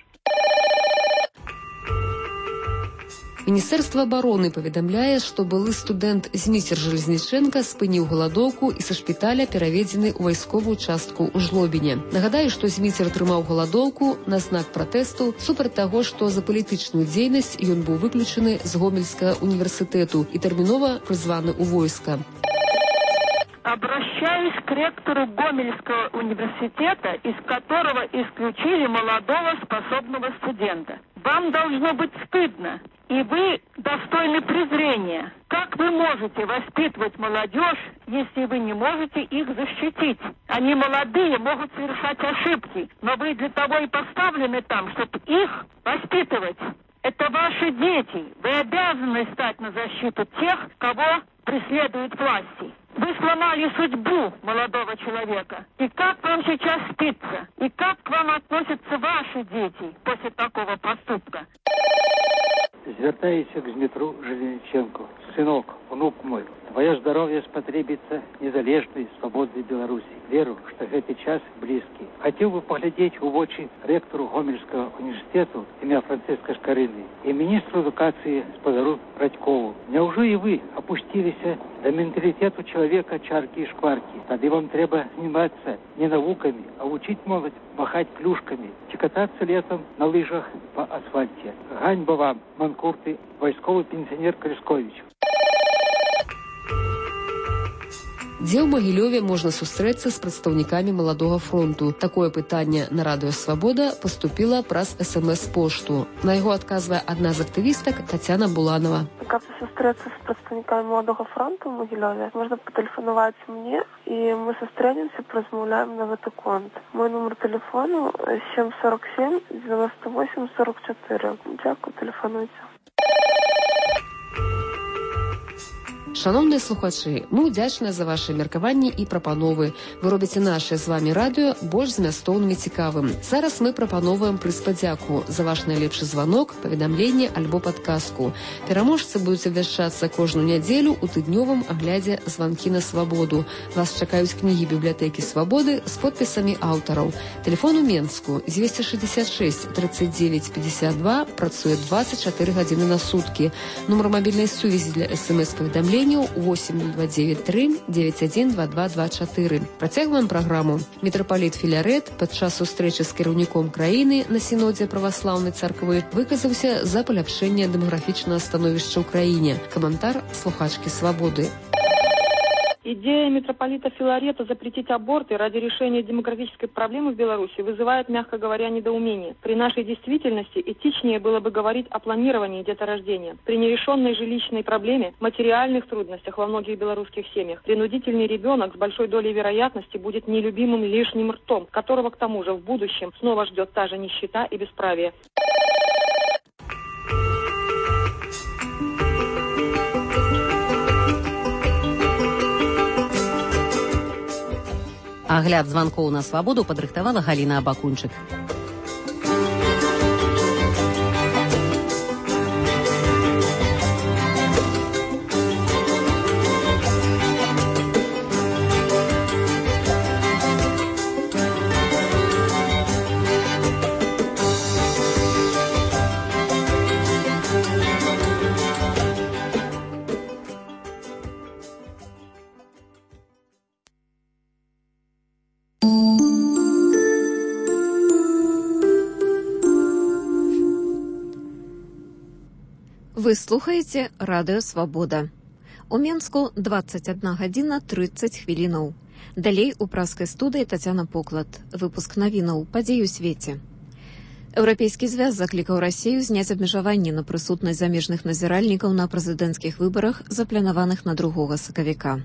Міністэрства абароны паведамляе, што былы студэнт Зміцер Жалезнічэнка спыніў галадоўку і са шпіталя пераведзены ў вайсковую частку ў Жлобіне. Нагадаю, што Зміцер трымаў галадоўку на знак пратэсту супраць таго, што за палітычную дзейнасць ён быў выключаны з Гомельскага універсітэту і тэрмінова прызваны ў войска. Обращаюсь к ректору Гомельского университета, из которого исключили молодого способного студента. Вам должно быть стыдно, и вы достойны презрения. Как вы можете воспитывать молодежь, если вы не можете их защитить? Они молодые, могут совершать ошибки, но вы для того и поставлены там, чтобы их воспитывать. Это ваши дети. Вы обязаны стать на защиту тех, кого преследуют власти. Вы сломали судьбу молодого человека. И как вам сейчас спится? И как к вам относятся ваши дети после такого поступка? Звертаюся к Дмитру Железниченко. Сынок, внук мой, твое здоровье спотребится незалежной свободной Беларуси. Веру, что этот час близкий. Хотел бы поглядеть в очи ректору Гомельского университета имя Франциска Шкарыны и министру эдукации Сподару Радькову. Неужели и вы опустились до менталитету человека чарки и шкварки? Тогда вам треба заниматься не науками, а учить молодь махать клюшками, кататься летом на лыжах по асфальте. Ганьба вам, манкурты, войсковый пенсионер Крыскович. Дзе ў Магілёве можна сустрэцца з прадстаўнікамі маладога фронту? Такое пытанне на радыё «Свабода» паступіла праз СМС-пошту. На яго адказвае адна з актывістак Тацяна Буланова. Каб сустрэцца з прадстаўнікамі маладога фронту ў Магілёве, можна патэлефанаваць мне, і мы сустрэнемся, паразмаўляем на гэты конт. Мой нумар тэлефону 747 98 44. Дзякуй, тэлефануйце. Шановныя слухачы, мы ўдзячныя за ваши меркаванні і прапановы. Вы робіце наше з вами радыё больш змястоўным і цікавым. Зараз мы прапановваем прыспадзяку за ваш найлепшы званок, паведамленне альбо падказку. Пераможцы будуць абвяшчацца кожную нядзелю ў тыднёвым аглядзе «Званкі на свабоду». Вас чакаюць кнігі бібліятэкі «Свабоды» з подпісамі аўтараў. Телефон у Менску 266 39 52, працуе 24 гадзіны на суткі. Нумар мабільнай сувязі для СМС-паведамлення 8029 91 2224. Працягваем праграму. Мітрапаліт Філярет падчас сустрэчы з кіраўніком краіны на сінодзе праваслаўнай царквы выказаўся за паляпшэнне дэмаграфічнага становішча ў краіне. Каментар слухачкі «Свабоды». Идея митрополита Филарета запретить аборты ради решения демографической проблемы в Беларуси вызывает, мягко говоря, недоумение. При нашей действительности этичнее было бы говорить о планировании деторождения. При нерешенной жилищной проблеме, материальных трудностях во многих белорусских семьях, принудительный ребенок с большой долей вероятности будет нелюбимым лишним ртом, которого к тому же в будущем снова ждет та же нищета и бесправие. Агляд званкоў на свабоду падрыхтавала Галіна Абакунчык. Вы слухаеце радыё Свабода. У Менску 21 гадзіна 30 хвілінаў. Далей у праскай студыі Тацяна Поклад. Выпуск навінаў падзей у свеце. Еўрапейскі звяз заклікаў Расію зняць абмежаванні на прысутнасць замежных назіральнікаў на прэзідэнцкіх выбарах, запланаваных на 2 сакавіка.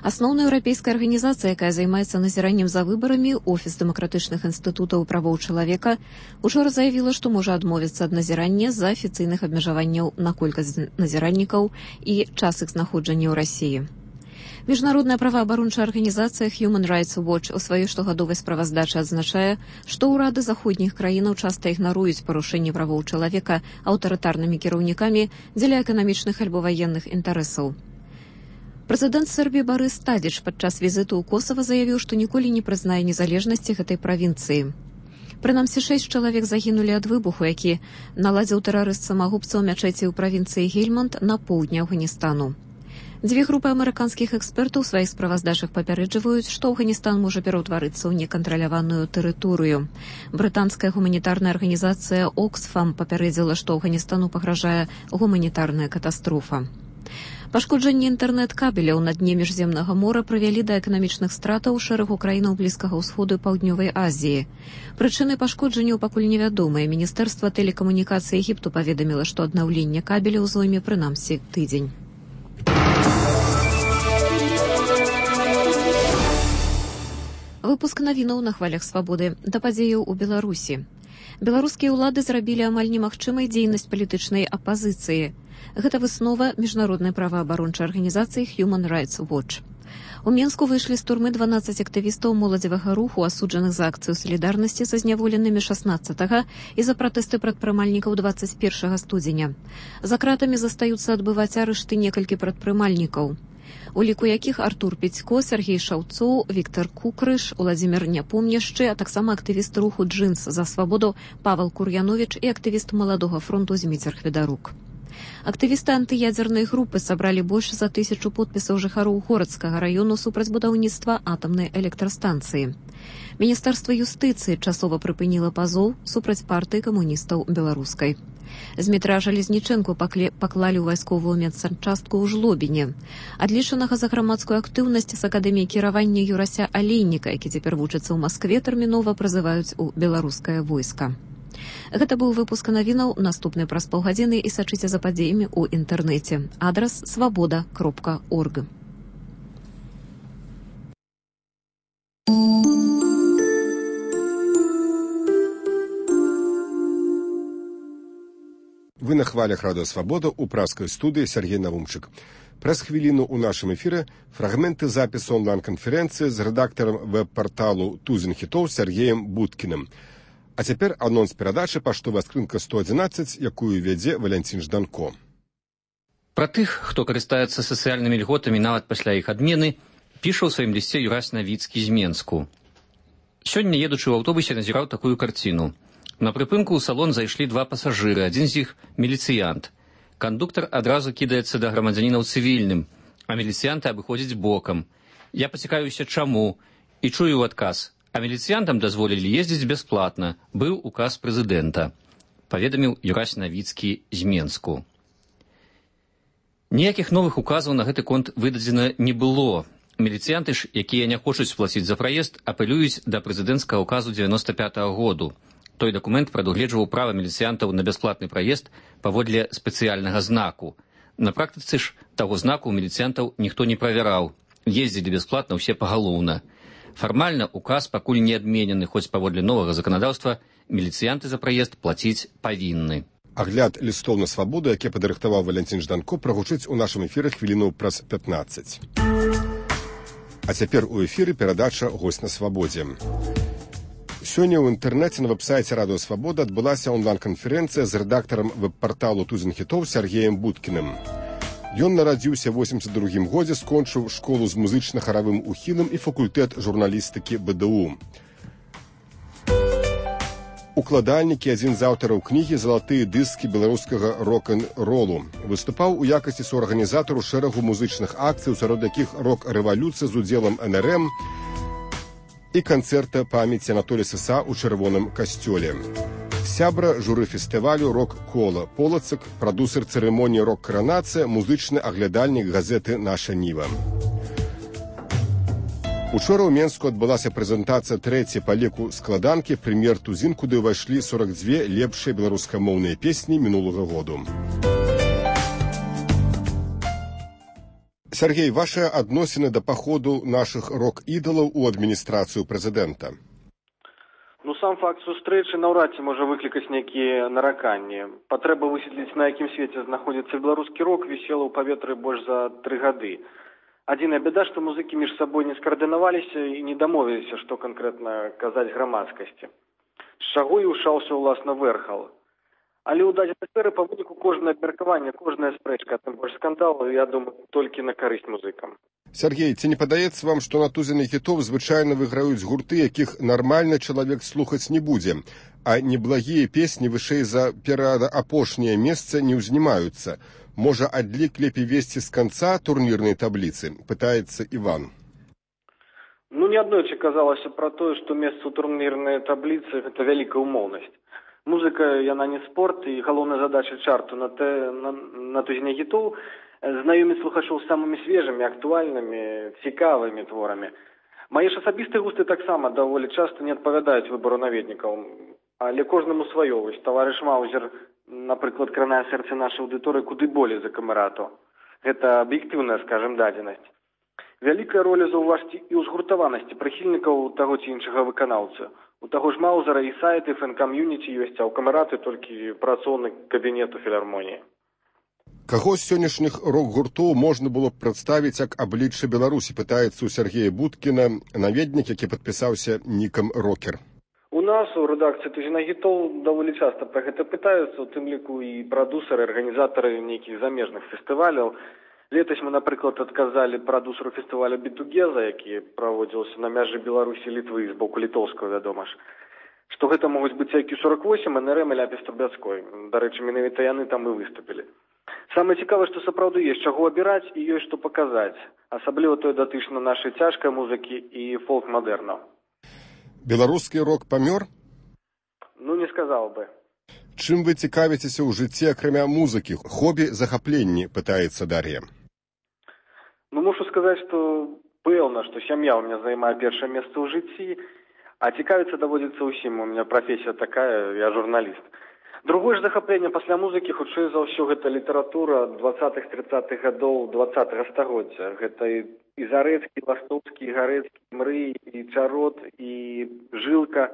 Асноўная еўрапейская арганізацыя, якая займаецца назіраннем за выбарамі, Офіс дэмакратычных інстытутаў правоў чалавека, учора заявіла, што можа адмовіцца ад назірання з-за афіцыйных абмежаванняў на колькасць назіральнікаў і час іх знаходжання ў Расіі. Міжнародная праваабарончая арганізацыя Human Rights Watch у сваёй штогадовай справаздачы адзначае, што ўрады заходніх краінаў часта ігнаруюць парушэнні правоў чалавека аўтарытарнымі кіраўнікамі дзеля эканамічных альбо ваенных інтарэсаў. Прэзідэнт Сербіі Барыс Тадзіч падчас візіту ў Косава заявіў, што ніколі не прызнае незалежнасці гэтай правінцыі. Прынамсі 6 чалавек загінулі ад выбуху, які наладзіў тэрарыст самагубца ў мячэці ў правінцыі Гельманд на поўдні Афганістану. 2 групы амерыканскіх экспертаў у сваіх справаздачах папярэджваюць, што Афганістан можа пераўтварыцца ў некантраляваную тэрыторыю. Брытанская гуманітарная арганізацыя Оксфам папярэдзіла, што Афганістану пагражае гуманітарная катастрофа. Пашкоджанне інтэрнэт-кабеляў на дне міжземнага мора прывялі да эканамічных стратаў шэрагу краінаў Блізкага ўсходу і Паўднёвай Азіі. Прычыны пашкоджанняў пакуль невядомыя. Міністэрства тэлекамунікацыі Егіпту паведаміла, што аднаўленне кабеляў зойме прынамсі тыдзень. Выпуск навінаў на хвалях Свабоды. Да падзеяў у Беларусі. Беларускія ўлады зрабілі амаль немагчымай дзейнасць палітычнай апазіцыі. Гэта выснова міжнароднай праваабарончай арганізацыі Human Rights Watch. У Менску выйшлі з турмы 12 актывістаў моладзевага руху, асуджаных за акцыю салідарнасці са зняволенымі 16 і за пратэсты прадпрымальнікаў 21 студзеня. За кратамі застаюцца адбываць арышты некалькі прадпрымальнікаў, у ліку якіх Артур Пецько, Сергей Шаўцоў, Віктор Кукрыш, Уладзімір Няпомняшчы, а таксама актывіст руху «Джинс за свабоду» Павел Кур'яновіч і актывіст Маладога фронту Зміцер Хведарук. Актывісты антыядзернай групы сабралі больш за 1000 подпісаў жыхароў горадскага раёну супраць будаўніцтва атамнай электрастанцыі. Міністэрства юстыцыі часова прыпыніла пазоў супраць партыі камуністаў беларускай. Змітра Жалезнічэнку паклалі ў вайсковую медсанчастку ў Жлобіне. Адлічанага за грамадскую актыўнасць з акадэміі кіравання Юрася Алейніка, які цяпер вучыцца ў Маскве, тэрмінова прызываюць у беларускае войска. Гэта быў выпуск навінаў, наступны праз паўгадзіны, і сачыце за падзеямі ў інтэрнэце. Адрас свабода.орг. Вы на хвалях радыё Свабода ў праскай студыі Сергей Навумчык. Праз хвіліну ў нашым эфіры фрагменты запісу онлайн-канферэнцыі з рэдактарам веб-парталу «Тузін хітоў» Сергеем Будкіным. А цяпер анонс перадачы «Паштовая скрынка 111», якую вядзе Валянцін Жданко. Пра тых, хто карыстаецца сацыяльнымі льготамі нават пасля іх адмены, піша ў сваім лісце Юрась Навіцкі з Менску. Сёння, едучы ў аўтобусе, назіраў такую карціну. На прыпынку ў салон зайшлі 2 пасажыры, адзін з іх міліцыянт. Кандуктар адразу кідаецца да грамадзяніна ў цывільным, а міліцыянты абыходзяць бокам. Я пацікаюся, чаму, і чую ў адказ. А міліцыянтам дазволілі ездзіць бясплатна. Быў указ прэзідэнта, паведаміў Юрась Навіцкі з Менску. Ніякіх новых указаў на гэты конт выдадзена не было. Міліцыянты ж, якія не хочуць плаціць за праезд, апелююць да прэзідэнцкага указу 95-го году. Той дакумент прадугледжваў права міліцыянтаў на бясплатны праезд паводле спецыяльнага знаку. На практыцы ж таго знаку у міліцыянтаў ніхто не правяраў. Ездзілі бясплатна ўсе пагалоўна. Фармальна указ пакуль не адменены, хоць паводле новага заканадаўства міліцыянты за праезд плаціць павінны. Агляд лістоў на свабоду, які падрыхтаваў Валянцін Жданко, прагучыць у нашым эфіры хвілінаў праз 15. А цяпер у эфіры перадача «Госць на свабодзе». Сёння ў інтэрнэце на вэб-сайце радыё Свабода адбылася онлайн-канферэнцыя з рэдактарам веб-парталу «Тузін хітоў» Сергеем Будкіным. Ён нарадзіўся ў 82 годзе, скончыў школу з музычна-харавым ухілам і факультэт журналістыкі БДУ. Укладальнік і адзін з аўтараў кнігі «Залатыя дыскі беларускага рок-н-ролу». Выступаў у якасці суарганізатару шэрагу музычных акцый, сярод якіх рок-рэвалюцыя з удзелам НРМ і канцэрта памяці Анатолія Сыса ў чырвоным касцёле. Сябра журы фестывалю «Рок-кола» Полацак, прадусер цырымоніі «Рок-каранацыя», музычны аглядальнік газеты «Наша Ніва». Учора ў Менску адбылася прэзентацыя трэцяй па ліку складанкі «Прэм'ер Тузін», куды ўвайшлі 42 лепшыя беларускамоўныя песні мінулага году. Сергей, ваши адносіны да паходу нашых рок-ідалаў у адміністрацыю прэзідэнта? Ну, сам факт сустрэчы наўрад ці можа выклікаць нейкія нараканні. Патрэба высветліць, на якім свеце знаходзіцца беларускі рок, вісела ў паветры больш за 3 гады. Адзіная бяда, што музыкі між сабой не скаардынаваліся і не дамовіліся, што канкрэтна казаць грамадскасці. З чаго і ўшаўся, уласна, Вэрхал. Але ў дадзенай сферы па выніку кожнае абмеркаванне, кожная спрэчка, тым больш скандалу, я думаю, толькі на карысць музыкам. Сергей, ці не падаецца вам, што на тузіне хітоў звычайна выграюць гурты, якіх нармальны чалавек слухаць не будзе, а неблагія песні вышэй за пераапошняе месца не ўзнімаюцца? Можа, адлік лепей весці з канца турнірнай табліцы? Пытаецца Іван. Ну, неаднойчы казалася пра тое, што месца ў турнірнай табліцы – гэта вялікая ўмоўнасць. Музыка, яна не спорт, і галоўная задача чарту на тузіне хітоў знаёміць слухачоў з самымі свежымі, актуальнымі, цікавымі творамі. Мае ж асабістыя густы таксама даволі часта не адпавядаюць выбару наведнікаў, але кожнаму сваё. Вось таварыш Маузер, напрыклад, кранае сэрце нашай аўдыторыі куды болей за камерату. Гэта аб'ектыўная, скажем, дадзенасць. Вялікая роля заўважце і ў згуртаванасці прыхільнікаў таго ці іншага выканаўцы. У таго ж Маузера і сайты, фэн-кам'юніці ёсць, а ў камераты толькі працоўны кабінет у філармоніі. Каго з сённяшніх рок-гуртоў можна было б прадставіць як аблічча Беларусі, пытаецца ў Сергея Будкіна, наведнік, які падпісаўся нікам «Рокер». У нас, у рэдакцыі «Тузіна хітоў» даволі часта пра гэта пытаюцца, у тым ліку і прадусеры, арганізатары нейкіх замежных фестываляў. Летась мы, напрыклад, адказалі прадусеру фестываля «Бітугеза», які праводзіўся на мяжы Беларусі і Літвы з боку літоўскага, вядома ж. Што гэта могуць быць IQ-48, НРМ і Ляпіс Трубяцкой. Дарэчы, менавіта яны там і выступілі. Самае цікавае, што сапраўды ёсць чаго абіраць і ёсць што паказаць. Асабліва тое датычна нашай цяжкай музыкі і фолк-мадэрна. Беларускі рок памёр? Ну, не сказаў бы. Чым вы цікавіцеся ў жыцці, акрамя музыкі? Хобі, захапленні, пытаецца Дар'я. Ну, мушу сказаць, што пэўна, што сям'я ў мяне займае першае месца ў жыцці, а цікавіцца даводзіцца ўсім. У мяне прафесія такая, я журналіст. Другое ж захапленне пасля музыкі, хутчэй за ўсё, гэта літаратура 20-30-х гадоў 20-го стагоддзя. Гэта і Зарэцкі, і Ластоўскі, і Гарэцкі, і Мрый, і Чарот, і Жылка.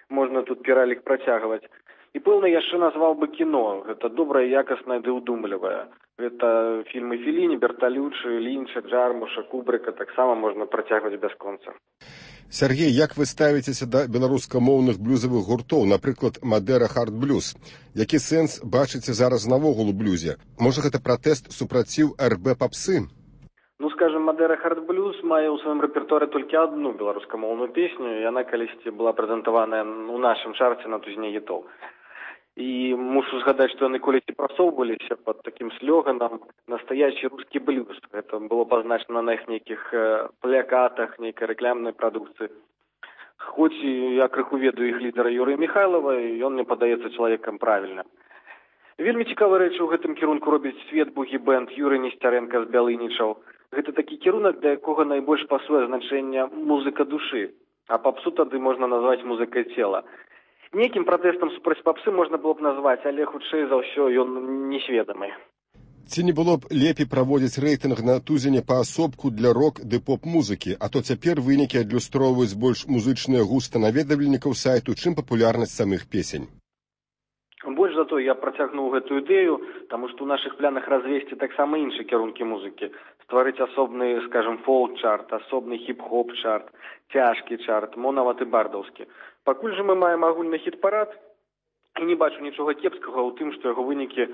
Можна тут пералік працягваць. І пэўна яшчэ назваў бы кіно. Гэта добрае, якаснае ды ўдумлівае. Гэта фільмы Феліні, Берталючы, Лінча, Джармуша, Кубрыка. Таксама можна працягваць бясконца. Сергей, як вы ставіцеся да беларускамоўных блюзавых гуртоў, напрыклад, Мадера Хард-блюз? Які сэнс бачыце зараз навогул у блюзе? Можа, гэта пратэст супраціў РБ папсы? Ну, скажем, Мадера Хард-блюз мае ў сваім рэпертуары толькі адну беларускамоўную песню, і яна калісьці была прэзентаваная ў нашым чарце на тузіне хітоў. І мушу згадаць, што яны колісьці прасоўваліся пад такім слоганам «Настоящий русский блюз». Гэта было пазначана на іх нейкіх плакатах, нейкай рэклямнай прадукцыі. Хоць я крыху ведаю іх лідара Юрыя Михайлова, і ён мне падаецца чалавекам правільным. Вельмі цікавыя рэчы ў гэтым кірунку робіць Свет Бугі-бэнд, Юрый Несцярэнка з Бялынічаў. Гэта такі кірунак, для якога найбольш пасуе значэнне музыка душы, а папсу тады можна назваць музыкай цела. Нейкім пратэстам супраць папсы можна было б назваць, але хутчэй за ўсё ён несведамы. Ці не было б лепей праводзіць рэйтынг на тузіне паасобку для рок ды поп-музыкі, а то цяпер вынікі адлюстроўваюць больш музычныя густы наведвальнікаў сайту, чым папулярнасць самых песень. Больш за то я працягнуў гэтую ідэю, таму што ў нашых планах развесці таксама іншыя кірункі музыкі. Стварыць асобны, скажем, фолк-чарт, асобны хіп-хоп-чарт, цяжкі чарт, монаваты бардаўскі. Пакуль жа мы маем агульны хіт-парад, і не бачу нічога кепскага ў тым, што яго вынікі,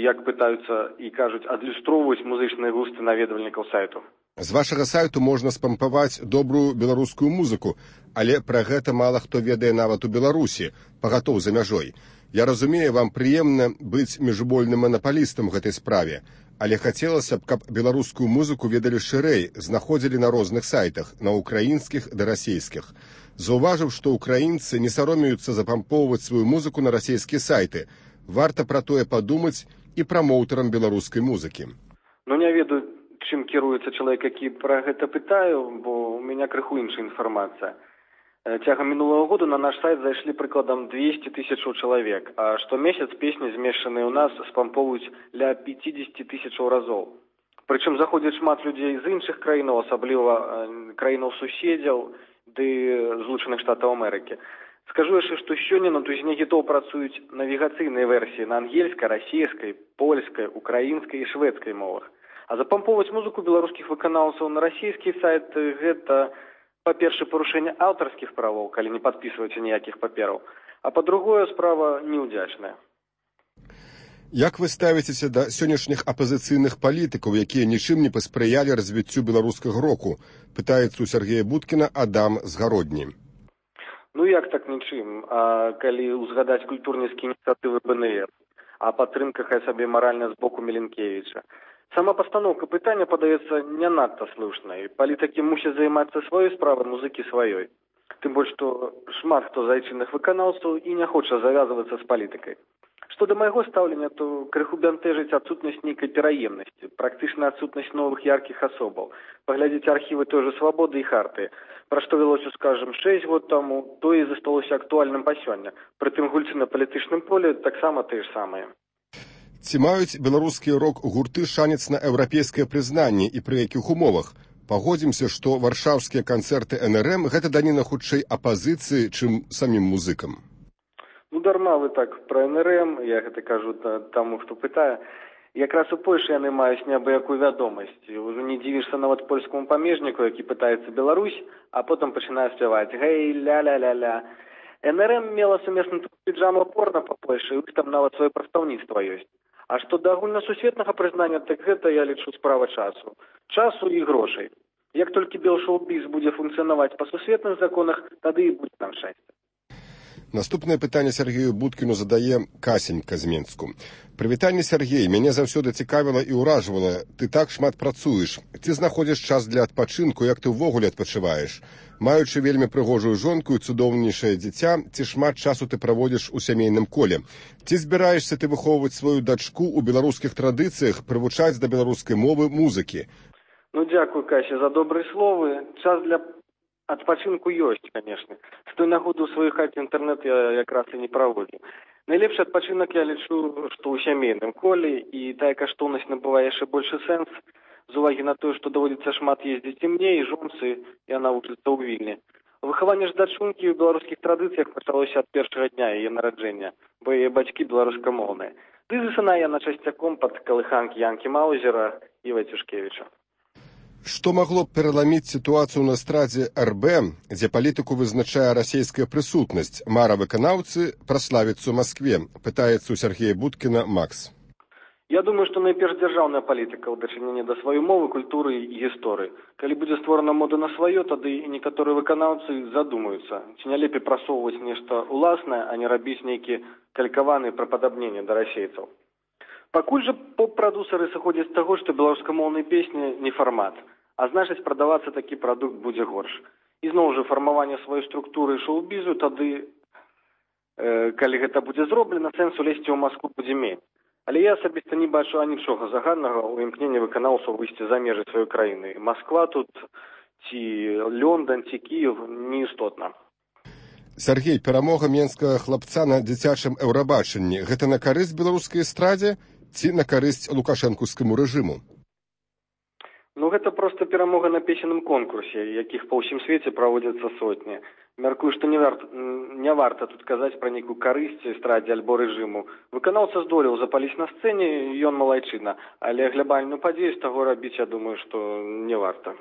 як пытаюцца і кажуць, адлюстроўваюць музычныя густы наведвальнікаў сайту. З вашага сайту можна спампаваць добрую беларускую музыку, але пра гэта мала хто ведае нават у Беларусі, пагатоў за мяжой. Я разумею, вам прыемна быць міжвольным манапалістам у гэтай справе, Але хацелася б, каб беларускую музыку ведалі шырэй, знаходзілі на розных сайтах, на украінскіх да расійскіх. Заўважыў, што украінцы не саромеюцца запампоўваць сваю музыку на расійскія сайты. Варта пра тое падумаць і прамоўтарам беларускай музыкі. Не ведаю, чым кіруецца чалавек, які пра гэта пытаю, бо у мяне крыху іншая інфармацыя. Цягам мінулого года на наш сайт зайшлі прыкладам 200 тысячаў чалавек, а штомесяц песні, змешчаныя ў нас, спампоўваюць ля 50 тысячаў разоў. Прычым заходзіць шмат людзей з іншых краінаў, асабліва краінаў суседзяў ды Злучаных Штатаў Амерыкі. Скажу яшчэ, што сёння на тузіне хітоў працуюць навігацыйныя версіі на ангельскай, расійскай, польскай, украінскай і шведскай мовах. А запампоўваць музыку беларускіх выканаўцаў на расійскі сайт – гэта, па-першае, парушэнне аўтарскіх правоў, калі не падпісваеце ніякіх папераў, а па-другое, справа неўдзячная. Як вы ставіцеся да сённяшніх апазіцыйных палітыкаў, якія нічым не паспрыялі развіццю беларускага року? Пытаецца у Сергея Будкіна Адам з Гародні. Як так нічым? А калі ўзгадаць культурніцкія ініцыятывы БНР, а падтрымка хай сабе маральна з боку Міленкевіча. Сама пастаноўка пытання падаецца не надта слушнай. Палітыкі мусяць займацца сваёй справай, музыкі сваёй. Тым больш, што шмат хто з айчынных выканаўцаў і не хоча завязвацца з палітыкай. Што да майго стаўлення, то крыху бянтэжыць адсутнасць нейкай пераемнасці, практычна адсутнасць новых яркіх асобаў. Паглядзіце архівы той жа «Свабоды» і «Харты». Пра што вялося, скажам, 6 год таму, то і засталося актуальным па сёння. Прытым гульцы на палітычным полі таксама тыя ж самыя. Ці маюць беларускія рок-гурты шанец на еўрапейскае прызнанне і пры якіх умовах? Пагодзімся, што варшаўскія канцэрты НРМ – гэта даніна хутчэй апазіцыі, чым самім музыкам. Дарма вы так пра НРМ, я гэта кажу таму, хто пытае. Якраз у Польшы яны маюць неабыякую вядомасць. Ужо не дзівішся нават польскаму памежніку, які пытаецца Беларусь, а потым пачынае спяваць «Гэй, ля-ля-ля-ля». НРМ мела сумесны піджама-порна па Польшы, і там нават сваё прадстаўніцтва ёсць. А што да агульнасусветнага прызнання, так гэта, я лічу, справа часу. Часу і грошай. Як толькі бел-шоу-біз будзе функцыянаваць па сусветных законах, тады і будзе нам шчасце. Наступнае пытанне Сергею Будкіну задае Касенька з Менску. Прывітанне, Сергей, мяне заўсёды цікавіла і ўражвала. Ты так шмат працуеш. Ці знаходзіш час для адпачынку, як ты ўвогуле адпачываеш? Маючы вельмі прыгожую жонку і цудоўнейшае дзіця, ці шмат часу ты праводзіш у сямейным коле? Ці збіраешся ты выхоўваць сваю дачку ў беларускіх традыцыях, прывучаць да беларускай мовы, музыкі? Дзякуй, Кася, за добрыя словы. Час для адпачынку ёсць, канешне. З той нагоды ў сваёй хаце інтэрнэт я якраз і не праводзіў. Найлепшы адпачынак я лічу, што ў сямейным коле, і тая каштоўнасць набывае яшчэ большы сэнс, з увагі на тое, што даводзіцца шмат ездзіць і мне, і жонцы, яна вучыцца ў Вільні. Выхаванне ж дачункі ў беларускіх традыцыях пачалося ад першага дня яе нараджэння, бо яе бацькі беларускамоўныя. Ды засынае яна часцяком пад калыханкі Янкі Маузера і Вайцюшкевіча. Што магло б пераламіць сітуацыю на эстрадзе РБ, дзе палітыку вызначае расійская прысутнасць? Мара выканаўцы праславіцца ў Маскве, пытаецца у Сергея Будкіна Макс. Я думаю, што найперш дзяржаўная палітыка ў дачыненні да сваёй мовы, культуры і гісторыі. Калі будзе створана мода на сваё, тады і некаторыя выканаўцы задумаюцца, ці не лепей прасоўваць нешта ўласнае, а не рабіць нейкі калькаваныя прападабненні да расейцаў. Пакуль жа поп-прадусары сыходзяць з таго, што беларускамоўныя песні не фармат, а значыць прадавацца такі прадукт будзе горш. І зноў жа фармаванне сваёй структуры шоу-бізу, тады, калі гэта будзе зроблена, сэнсу лезці ў Маскву будзе менш. Але я асабіста не бачу анічога заганнага ў імкненні выканаўцаў выйсці за межы сваёй краіны. Масква тут, ці Лондон, ці Кіев неістотна. Сергей, перамога менскага хлапца на дзіцячым еўрабачанні – гэта на карысць беларускай эстрадзе ці на карысць лукашэнкаўскаму рэжыму? Гэта проста перамога на песенным конкурсе, якіх па ўсім свеце праводзяцца сотні. Мяркую, што не варта тут казаць пра нейкую карысць эстрадзе альбо рэжыму. Выканаўца здолеў запаліць на сцэне, ён малайчына, але глябальную падзею з таго рабіць, я думаю, што не варта.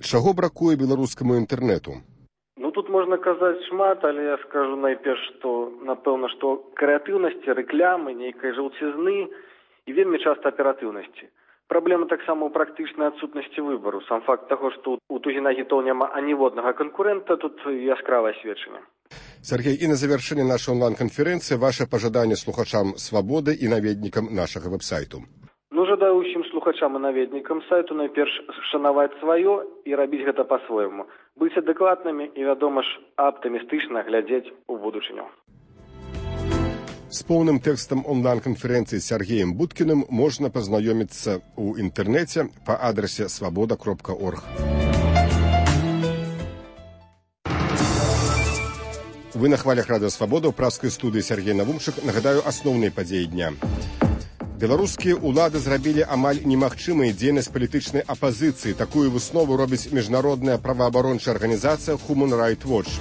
Чаго бракуе беларускаму інтэрнэту? Тут можна казаць шмат, але я скажу найперш, што, напэўна, што крэатыўнасці, рэклямы, нейкай жаўцізны і вельмі часта аператыўнасці. Праблема таксама ў практычнай адсутнасці выбару. Сам факт таго, што у тузіна гітоў няма аніводнага канкурэнта, тут яскравае сведчанне. Сергей, і на завяршэнне нашай онлайн-канферэнцыі ваше пажаданне слухачам «Свабоды» і наведнікам нашага вэб-сайту. Жадаю ўсім слухачам слухачам і наведнікам сайту найперш шанаваць сваё і рабіць гэта па-свойму. Быць адэкватнымі і, вядома ж, аптымістычна глядзець у будучыню. С поўным тэкстам онлайн-канферэнцыі з Сергеем Будкіным можна пазнаёміцца ў інтэрнэце па адрасе свабода.орг. Вы на хвалях Радыё Свабода, ў пражскай студыі Сергей Навумчык. Нагадаю асноўныя падзеі дня. Беларускія ўлады зрабілі амаль немагчымай дзейнасць палітычнай апазіцыі. Такую выснову робіць міжнародная праваабарончая арганізацыя Human Rights Watch.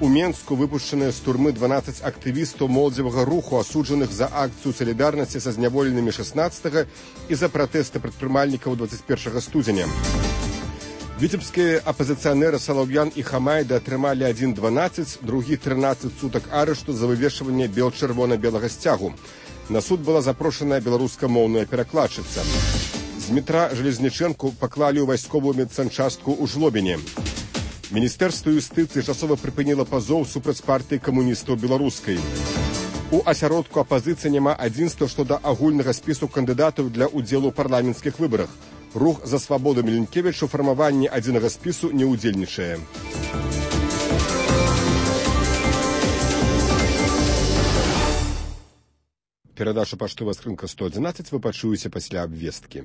У Менску выпушчаныя з турмы 12 актывістаў моладзевага руху, асуджаных за акцыю салідарнасці са зняволенымі 16 і за пратэсты прадпрымальнікаў 21 студзеня. Віцебскія апазіцыянеры Салаўян і Хамайда атрымалі адзін 12, другі 13 сутак арышту за вывешванне бел-чырвона-белага сцягу. На суд была запрошаная беларускамоўная перакладчыца. З метра Железнічэнку паклалі ў вайсковую медсанчастку ў Жлобіне. Міністэрства юстыцыі часова прыпыніла пазоў супраць партыі камуністаў беларускай. У асяродку апазіцыі няма адзінства што да агульнага спісу кандыдатаў для ўдзелу ў парламенцкіх выбарах. Рух за свабоду Міленкевіч у фармаванні адзінага спісу не ўдзельнічае. Перадача паштовая скрынка 111 вы пачуеце пасля абвесткі.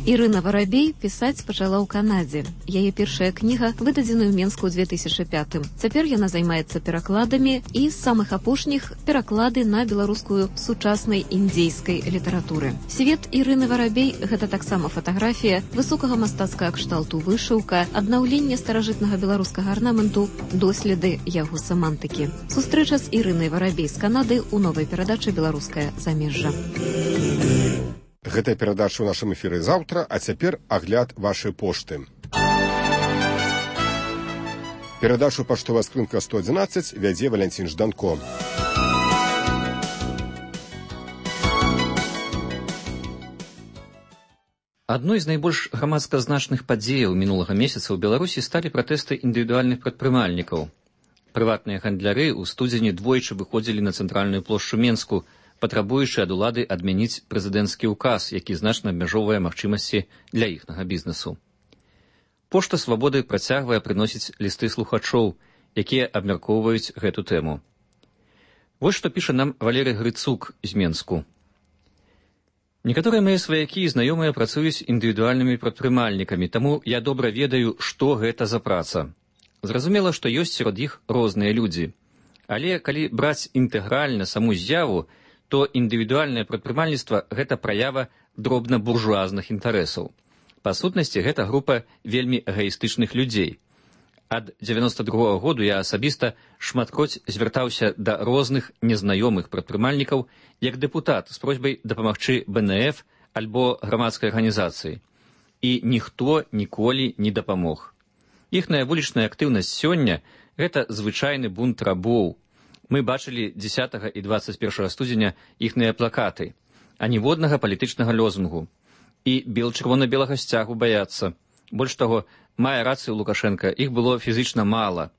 Ірына Варабей пісаць пачала ў Канадзе. Яе першая кніга выдадзена ў Менску ў 2005. Цяпер яна займаецца перакладамі і з самых апошніх пераклады на беларускую сучаснай індзейскай літаратуры. Свет Ірыны Варабей – гэта таксама фатаграфія высокага мастацкага кшталту вышыўка, аднаўленне старажытнага беларускага арнаменту, доследы яго семантыкі. Сустрэча з Ірынай Варабей з Канады ў новай перадачы «Беларускае замежжа». Гэтая перадача ў нашым эфіры заўтра, а цяпер агляд вашай пошты. Перадачу паштовая скрынка 111 вядзе Валянцін Жданко. Адной з найбольш грамадска значных падзеяў мінулага месяца ў Беларусі сталі пратэсты індывідуальных прадпрымальнікаў. Прыватныя гандляры ў студзені двойчы выходзілі на цэнтральную плошчу Менску, патрабуючы ад улады адмяніць прэзідэнцкі ўказ, які значна абмяжоўвае магчымасці для іхнага бізнесу. Пошта Свабоды працягвае прыносіць лісты слухачоў, якія абмяркоўваюць гэту тэму. Вось што піша нам Валерый Грыцук з Менску. Некаторыя мае сваякі і знаёмыя працуюць індывідуальнымі прадпрымальнікамі, таму я добра ведаю, што гэта за праца. Зразумела, што ёсць сярод іх розныя людзі. Але калі браць інтэгральна саму з'яву, то індывідуальнае прадпрымальніцтва – гэта праява дробна-буржуазных інтарэсаў. Па сутнасці, гэта група вельмі эгаістычных людзей. Ад 92-го году я асабіста шматкроць звяртаўся да розных незнаёмых прадпрымальнікаў як дэпутат з просьбай дапамагчы БНФ альбо грамадскай арганізацыі. І ніхто ніколі не дапамог. Іхная вулічная актыўнасць сёння – гэта звычайны бунт рабоў. Мы бачылі 10 і 21 студзеня іхныя плакаты, а ніводнага палітычнага лозунгу. І бел-чырвона-белага сцягу баяцца. Больш таго, мае рацыю Лукашенка, іх было фізычна мала.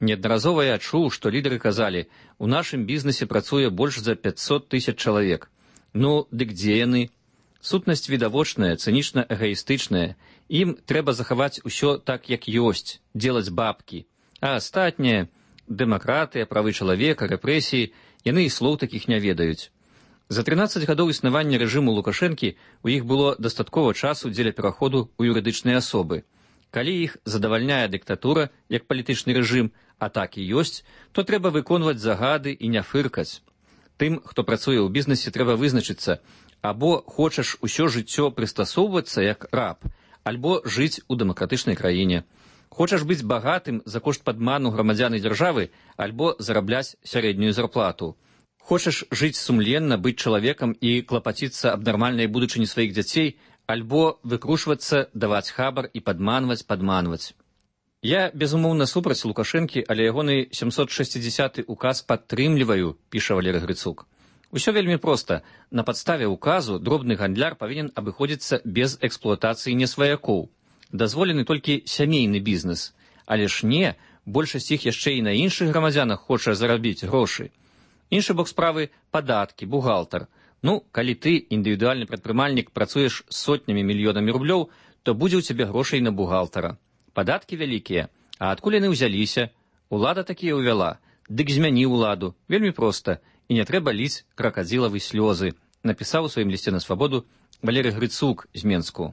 Неаднаразова я чуў, што лідары казалі, у нашым бізнесе працуе больш за 500 тысяч чалавек. Ну, дык дзе яны? Сутнасць відавочная, цынічна-эгаістычная. Ім трэба захаваць усё так, як ёсць, делаць бабкі. А астатняе... Дэмакратыя, правы чалавека, рэпрэсіі, яны і слоў такіх не ведаюць. За 13 гадоў існавання рэжыму Лукашэнкі у іх было дастаткова часу дзеля пераходу ў юрыдычныя асобы. Калі іх задавальняе дыктатура, як палітычны рэжым, а так і ёсць, то трэба выконваць загады і не фыркаць. Тым, хто працуе ў бізнесе, трэба вызначыцца, або хочаш усё жыццё прыстасоўвацца як раб, альбо жыць у дэмакратычнай краіне. Хочаш быць багатым за кошт падману грамадзян і дзяржавы, альбо зарабляць сярэднюю зарплату. Хочаш жыць сумленна, быць чалавекам і клапаціцца аб нармальнай будучыні сваіх дзяцей, альбо выкручвацца, даваць хабар і падманваць. Я, безумоўна, супраць Лукашэнкі, але ягоны 760-й указ падтрымліваю, піша Валерый Грыцук. Усё вельмі проста. На падставе указу дробны гандляр павінен абыходзіцца без эксплуатацыі несваякоў. Дазволены толькі сямейны бізнес. Але ж не, большасць іх яшчэ і на іншых грамадзянах хоча зарабіць грошы. Іншы бок справы – падаткі, бухгалтар. Ну, калі ты, індывідуальны прадпрымальнік, працуеш з сотнямі мільёнамі рублёў, то будзе ў цябе грошай на бухгалтара. Падаткі вялікія, а адкуль яны ўзяліся? Улада такія ўвяла, дык змяні ўладу. Вельмі проста, і не трэба ліць кракадзілавы слёзы, напісаў у сваім лісце на свабоду Валерый Грыцук з Менску.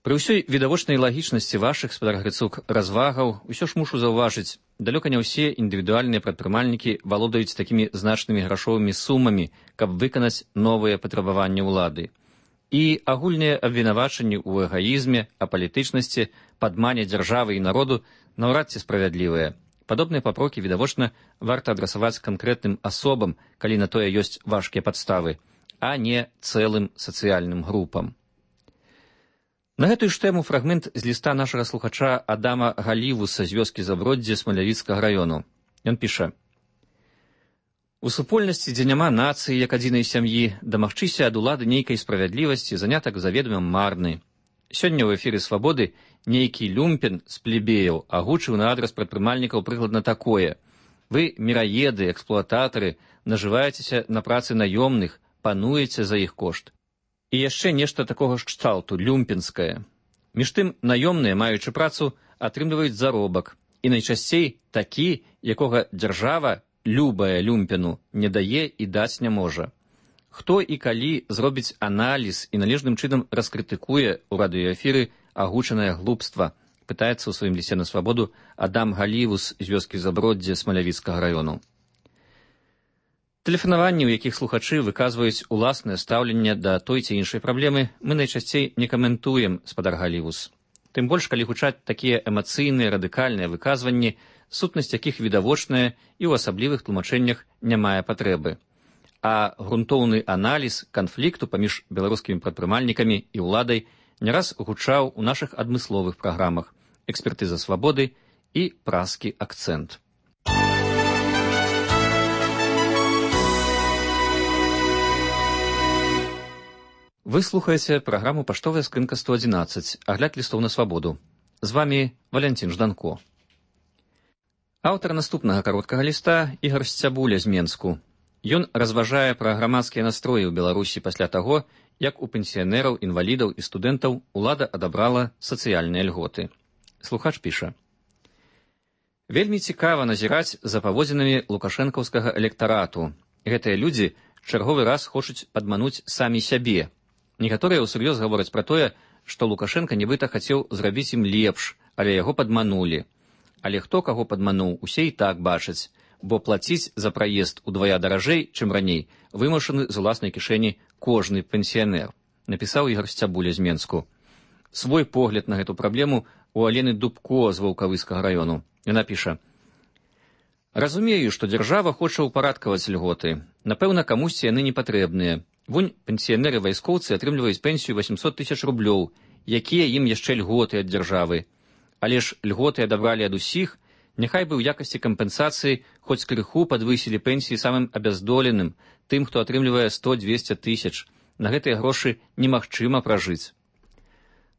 Пры ўсёй відавочнай лагічнасці вашых, спадар Грыцук, развагаў, усё ж мушу заўважыць, далёка не ўсе індывідуальныя прадпрымальнікі валодаюць такімі значнымі грашовымі сумамі, каб выканаць новыя патрабаванні ўлады. І агульныя абвінавачанні ў эгаізме, апалітычнасці, падмане дзяржавы і народу наўрад ці справядлівыя. Падобныя папрокі, відавочна, варта адрасаваць канкрэтным асобам, калі на тое ёсць важкія падставы, а не цэлым сацыяльным групам. На гэтую ж тэму фрагмент з ліста нашага слухача Адама Галівуса з вёскі Заброддзе Смалявіцкага раёну. Ён піша: «У супольнасці, дзе няма нацыі як адзінай сям'і, дамагчыся ад улады нейкай справядлівасці занятак заведома марны. Сёння ў эфіры «Свабоды» нейкі люмпен з плебеяў агучыў на адрас прадпрымальнікаў прыкладна такое: вы, міраеды, эксплуататары, нажываецеся на працы наёмных, пануеце за іх кошт. І яшчэ нешта такога ж кшталту, люмпенскае. Між тым, наёмныя, маючы працу, атрымліваюць заробак, і найчасцей такі, якога дзяржава, любая люмпену, не дае і даць не можа. Хто і калі зробіць аналіз і належным чынам раскрытыкуе ў радыёэфіры агучанае глупства, пытаецца ў сваім лісце на свабоду Адам Галівус з вёскі Заброддзе Смалявіцкага раёну. Тэлефанаванні, у якіх слухачы выказваюць уласнае стаўленне да той ці іншай праблемы, мы найчасцей не каментуем, спадар Галівус. Тым больш, калі гучаць такія эмацыйныя, радыкальныя выказванні, сутнасць якіх відавочная і ў асаблівых тлумачэннях не мае патрэбы. А грунтоўны аналіз канфлікту паміж беларускімі прадпрымальнікамі і ўладай не раз гучаў у нашых адмысловых праграмах «Экспертыза свабоды» і «Праскі акцэнт». Вы слухаеце праграму «Паштовая скрынка 111», агляд лістоў на свабоду. З вамі Валянцін Жданко. Аўтар наступнага кароткага ліста Ігар Сцябуля з Менску. Ён разважае пра грамадскія настроі ў Беларусі пасля таго, як у пенсіянераў, інвалідаў і студэнтаў улада адабрала сацыяльныя льготы. Слухач піша: «Вельмі цікава назіраць за паводзінамі лукашэнкаўскага электарату. Гэтыя людзі чарговы раз хочуць падмануць самі сябе. Некаторыя ўсур'ёз гавораць пра тое, што Лукашенка нібыта хацеў зрабіць ім лепш, але яго падманулі. Але хто каго падмануў, усе і так бачаць, бо плаціць за праезд удвая даражэй, чым раней, вымушаны з уласнай кішэні кожны пенсіянер», напісаў Ігар Сцябуля з Менску. Свой погляд на гэту праблему у Алены Дубко з Ваўкавыскага раёну. Яна піша: «Разумею, што дзяржава хоча ўпарадкаваць льготы. Напэўна, камусьці яны не патрэбныя. Вунь пенсіянеры-вайскоўцы атрымліваюць пенсію 800 000 рублёў, якія ім яшчэ льготы ад дзяржавы. Але ж льготы адабралі ад усіх, няхай бы ў якасці кампенсацыі хоць крыху падвысілі пенсіі самым абяздоленым, тым, хто атрымлівае 100-200 000. На гэтыя грошы немагчыма пражыць».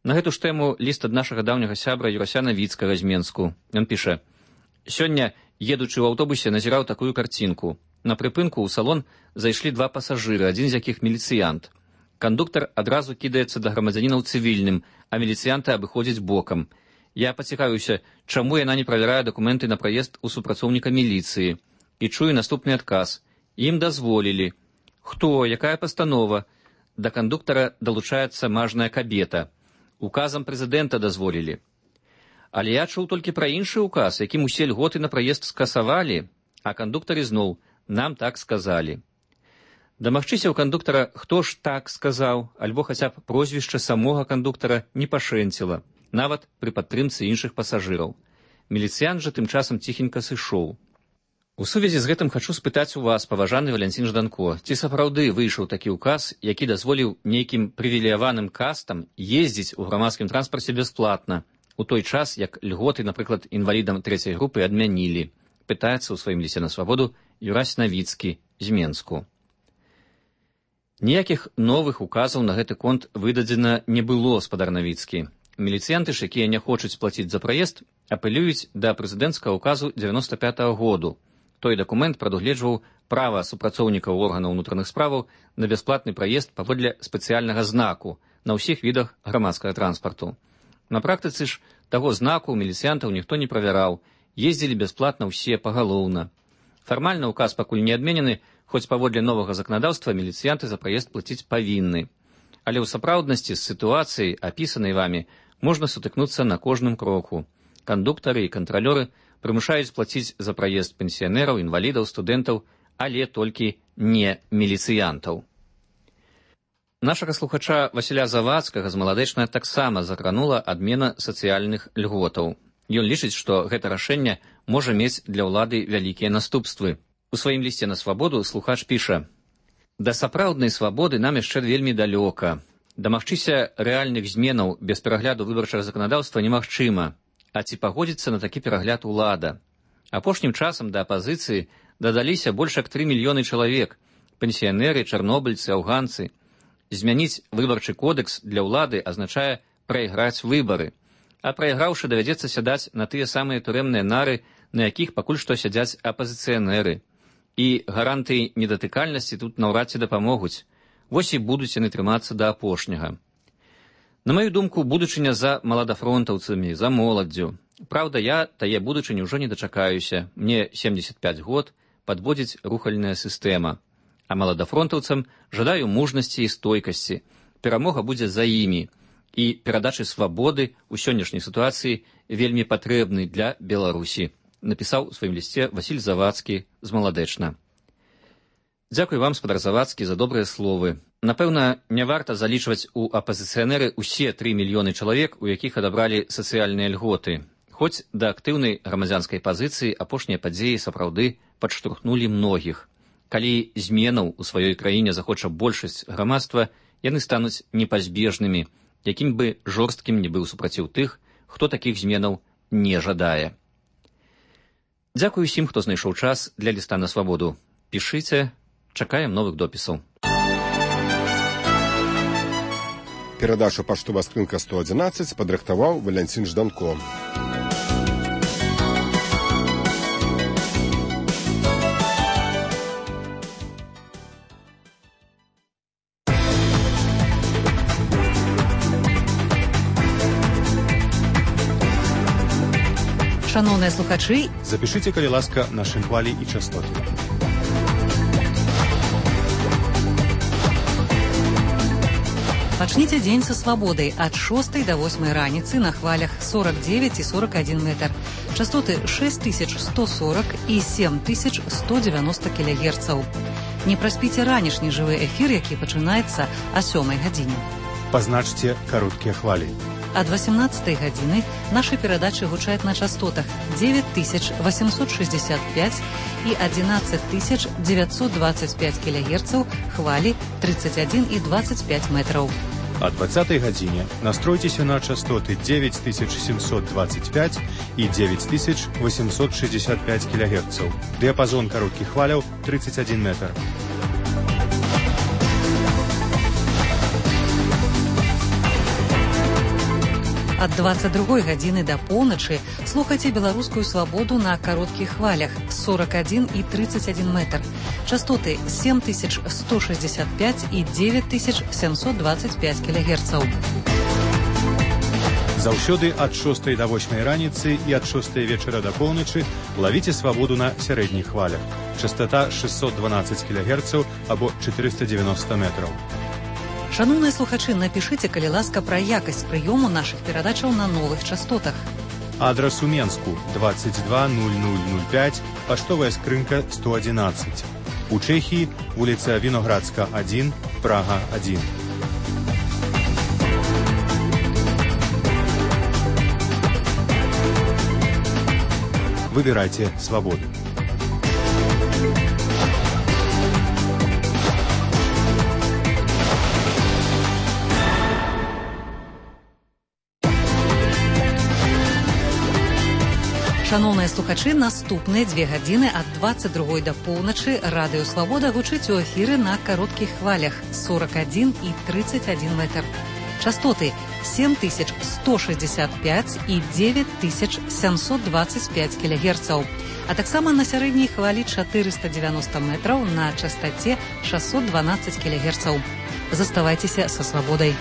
На гэту ж тэму ліст ад нашага даўняга сябра Юрася Навіцкага з Менску. Ён піша: «Сёння, едучы ў аўтобусе, назіраў такую карцінку. На прыпынку ў салон зайшлі два пасажыры, адзін з якіх міліцыянт. Кандуктар адразу кідаецца да грамадзяніна ў цывільным, а міліцыянта абыходзіць бокам. Я пацікавіўся, чаму яна не правярае дакументы на праезд у супрацоўніка міліцыі. І чую наступны адказ. Ім дазволілі. Хто, якая пастанова? Да кандуктара далучаецца мажная кабета. Указам прэзідэнта дазволілі. Але я чуў толькі пра іншы ўказ, якім усе льготы на праезд скасавалі, а кандуктары зноў: нам так сказалі. Дамагчыся ў кандуктара, хто ж так сказаў, альбо хаця б прозвішча самога кандуктара не пашэнціла, нават пры падтрымцы іншых пасажыраў. Міліцыянт жа тым часам ціхенька сышоў. У сувязі з гэтым хачу спытаць у вас, паважаны Валянцін Жданко, ці сапраўды выйшаў такі ўказ, які дазволіў нейкім прывілеяваным кастам ездзіць у грамадскім транспарце бясплатна, у той час, як льготы, напрыклад, інвалідам трэцяй групы адмянілі, пытаецца ў сваім лісце на свабоду Юрась Навіцкі з Менску. Ніякіх новых указаў на гэты конт выдадзена не было, спадар Навіцкі. Міліцыянты ж, якія не хочуць плаціць за праезд, апелююць да прэзідэнцкага указу 95-го году. Той дакумент прадугледжваў права супрацоўнікаў органаў унутраных справаў на бясплатны праезд паводле спецыяльнага знаку на ўсіх відах грамадскага транспарту. На практыцы ж таго знаку міліцыянтаў ніхто не правяраў, ездзілі бясплатна ўсе пагалоўна. Фармальна ўказ пакуль не адменены, хоць паводле новага заканадаўства міліцыянты за праезд плаціць павінны. Але ў сапраўднасці з сітуацыяй, апісанай вамі, можна сутыкнуцца на кожным кроку. Кандуктары і кантралёры прымушаюць плаціць за праезд пенсіянераў, інвалідаў, студэнтаў, але толькі не міліцыянтаў. Нашага слухача Васіля Завадскага з Маладэчна таксама закранула адмена сацыяльных льготаў. Ён лічыць, што гэта рашэнне можа мець для ўлады вялікія наступствы. У сваім лісце на свабоду слухач піша: «Да сапраўднай свабоды нам яшчэ вельмі далёка. Дамагчыся рэальных зменаў без перагляду выбарчага заканадаўства немагчыма. А ці пагодзіцца на такі перагляд улада? Апошнім часам да апазіцыі дадаліся больш як 3 мільёны чалавек, пенсіянеры, чарнобыльцы, афганцы. Змяніць выбарчы кодекс для ўлады азначае прайграць выбары. А прайграўшы, давядзецца сядаць на тыя самыя турэмныя нары, на якіх пакуль што сядзяць апазіцыянеры. І гарантыі недатыкальнасці тут наўрад ці дапамогуць. Вось і будуць яны трымацца да апошняга. На маю думку, будучыня за маладафронтаўцамі, за моладдзю. Праўда, я тае будучыні ўжо не дачакаюся. Мне 75 год, падводзіць рухальная сістэма. А маладафронтаўцам жадаю мужнасці і стойкасці. Перамога будзе за імі. І перадачы свабоды ў сённяшняй сітуацыі вельмі патрэбны для Беларусі, напісаў у сваім лісце Васіль Завадскі з Маладэчна. Дзякуй вам, спадар Завадскі, за добрыя словы. Напэўна, не варта залічваць у апазіцыянеры ўсе 3 мільёны чалавек, у якіх адабралі сацыяльныя льготы. Хоць да актыўнай грамадзянскай пазіцыі апошнія падзеі сапраўды падштурхнулі многіх. Калі зменаў у сваёй краіне захоча большасць грамадства, яны стануць непазбежнымі, якім бы жорсткім не быў супраціў тых, хто такіх зменаў не жадае. Дзякуй усім, хто знайшоў час для ліста на свабоду. Пішыце, чакаем новых допісаў. Перадачу «Паштова скрынка 111» падрыхтаваў Валянцін Жданко. Шановныя слухачы, запішыце, калі ласка, нашы хвалі і частоты. Пачніце дзень са свабодай ад 6 до 8 раніцы на хвалях 49 і 41 метр. Частоты 6140 і 7190 кГц. Не праспіце ранішні жывы эфір, які пачынаецца о 7 гадзіне. Пазначце кароткія хвалі. Ад 18 гадзіны нашы перадачы гучаць на частотах 9865 і 11925 кГц, хвалі 31 і 25 метраў. А 20 гадзіне настройцеся на частоты 9725 і 9865 кГц. Дыяпазон кароткіх хваляў 31 метр. Ад 22 гадзіны да поўначы слухайце беларускую свабоду на кароткіх хвалях 41 і 31 метр. Частоты 7165 і 9725 кГц. Заўсёды ад 6 до 8 раніцы і ад 6 вечара да поўначы лавіце свабоду на сярэдніх хвалях. Частота 612 кГц або 490 метраў. Шановныя слухачы, напішыце, калі ласка, пра якасць прыёму нашых перадачаў на новых частотах. Адрас у Менску 220005, паштовая скрынка 111. У Чэхіі вуліца Віноградска 1, Прага 1. Выбірайце свабоду. Шановныя слухачы, наступныя 2 гадзіны ад 22 да поўначы радыё «Свабода» гучыць у эфіры на кароткіх хвалях 41 і 31 метр. Частоты 7165 і 9725 кГц. А таксама на сярэдняй хвалі 490 метраў на частаце 612 кГц. Заставайцеся са свабодай.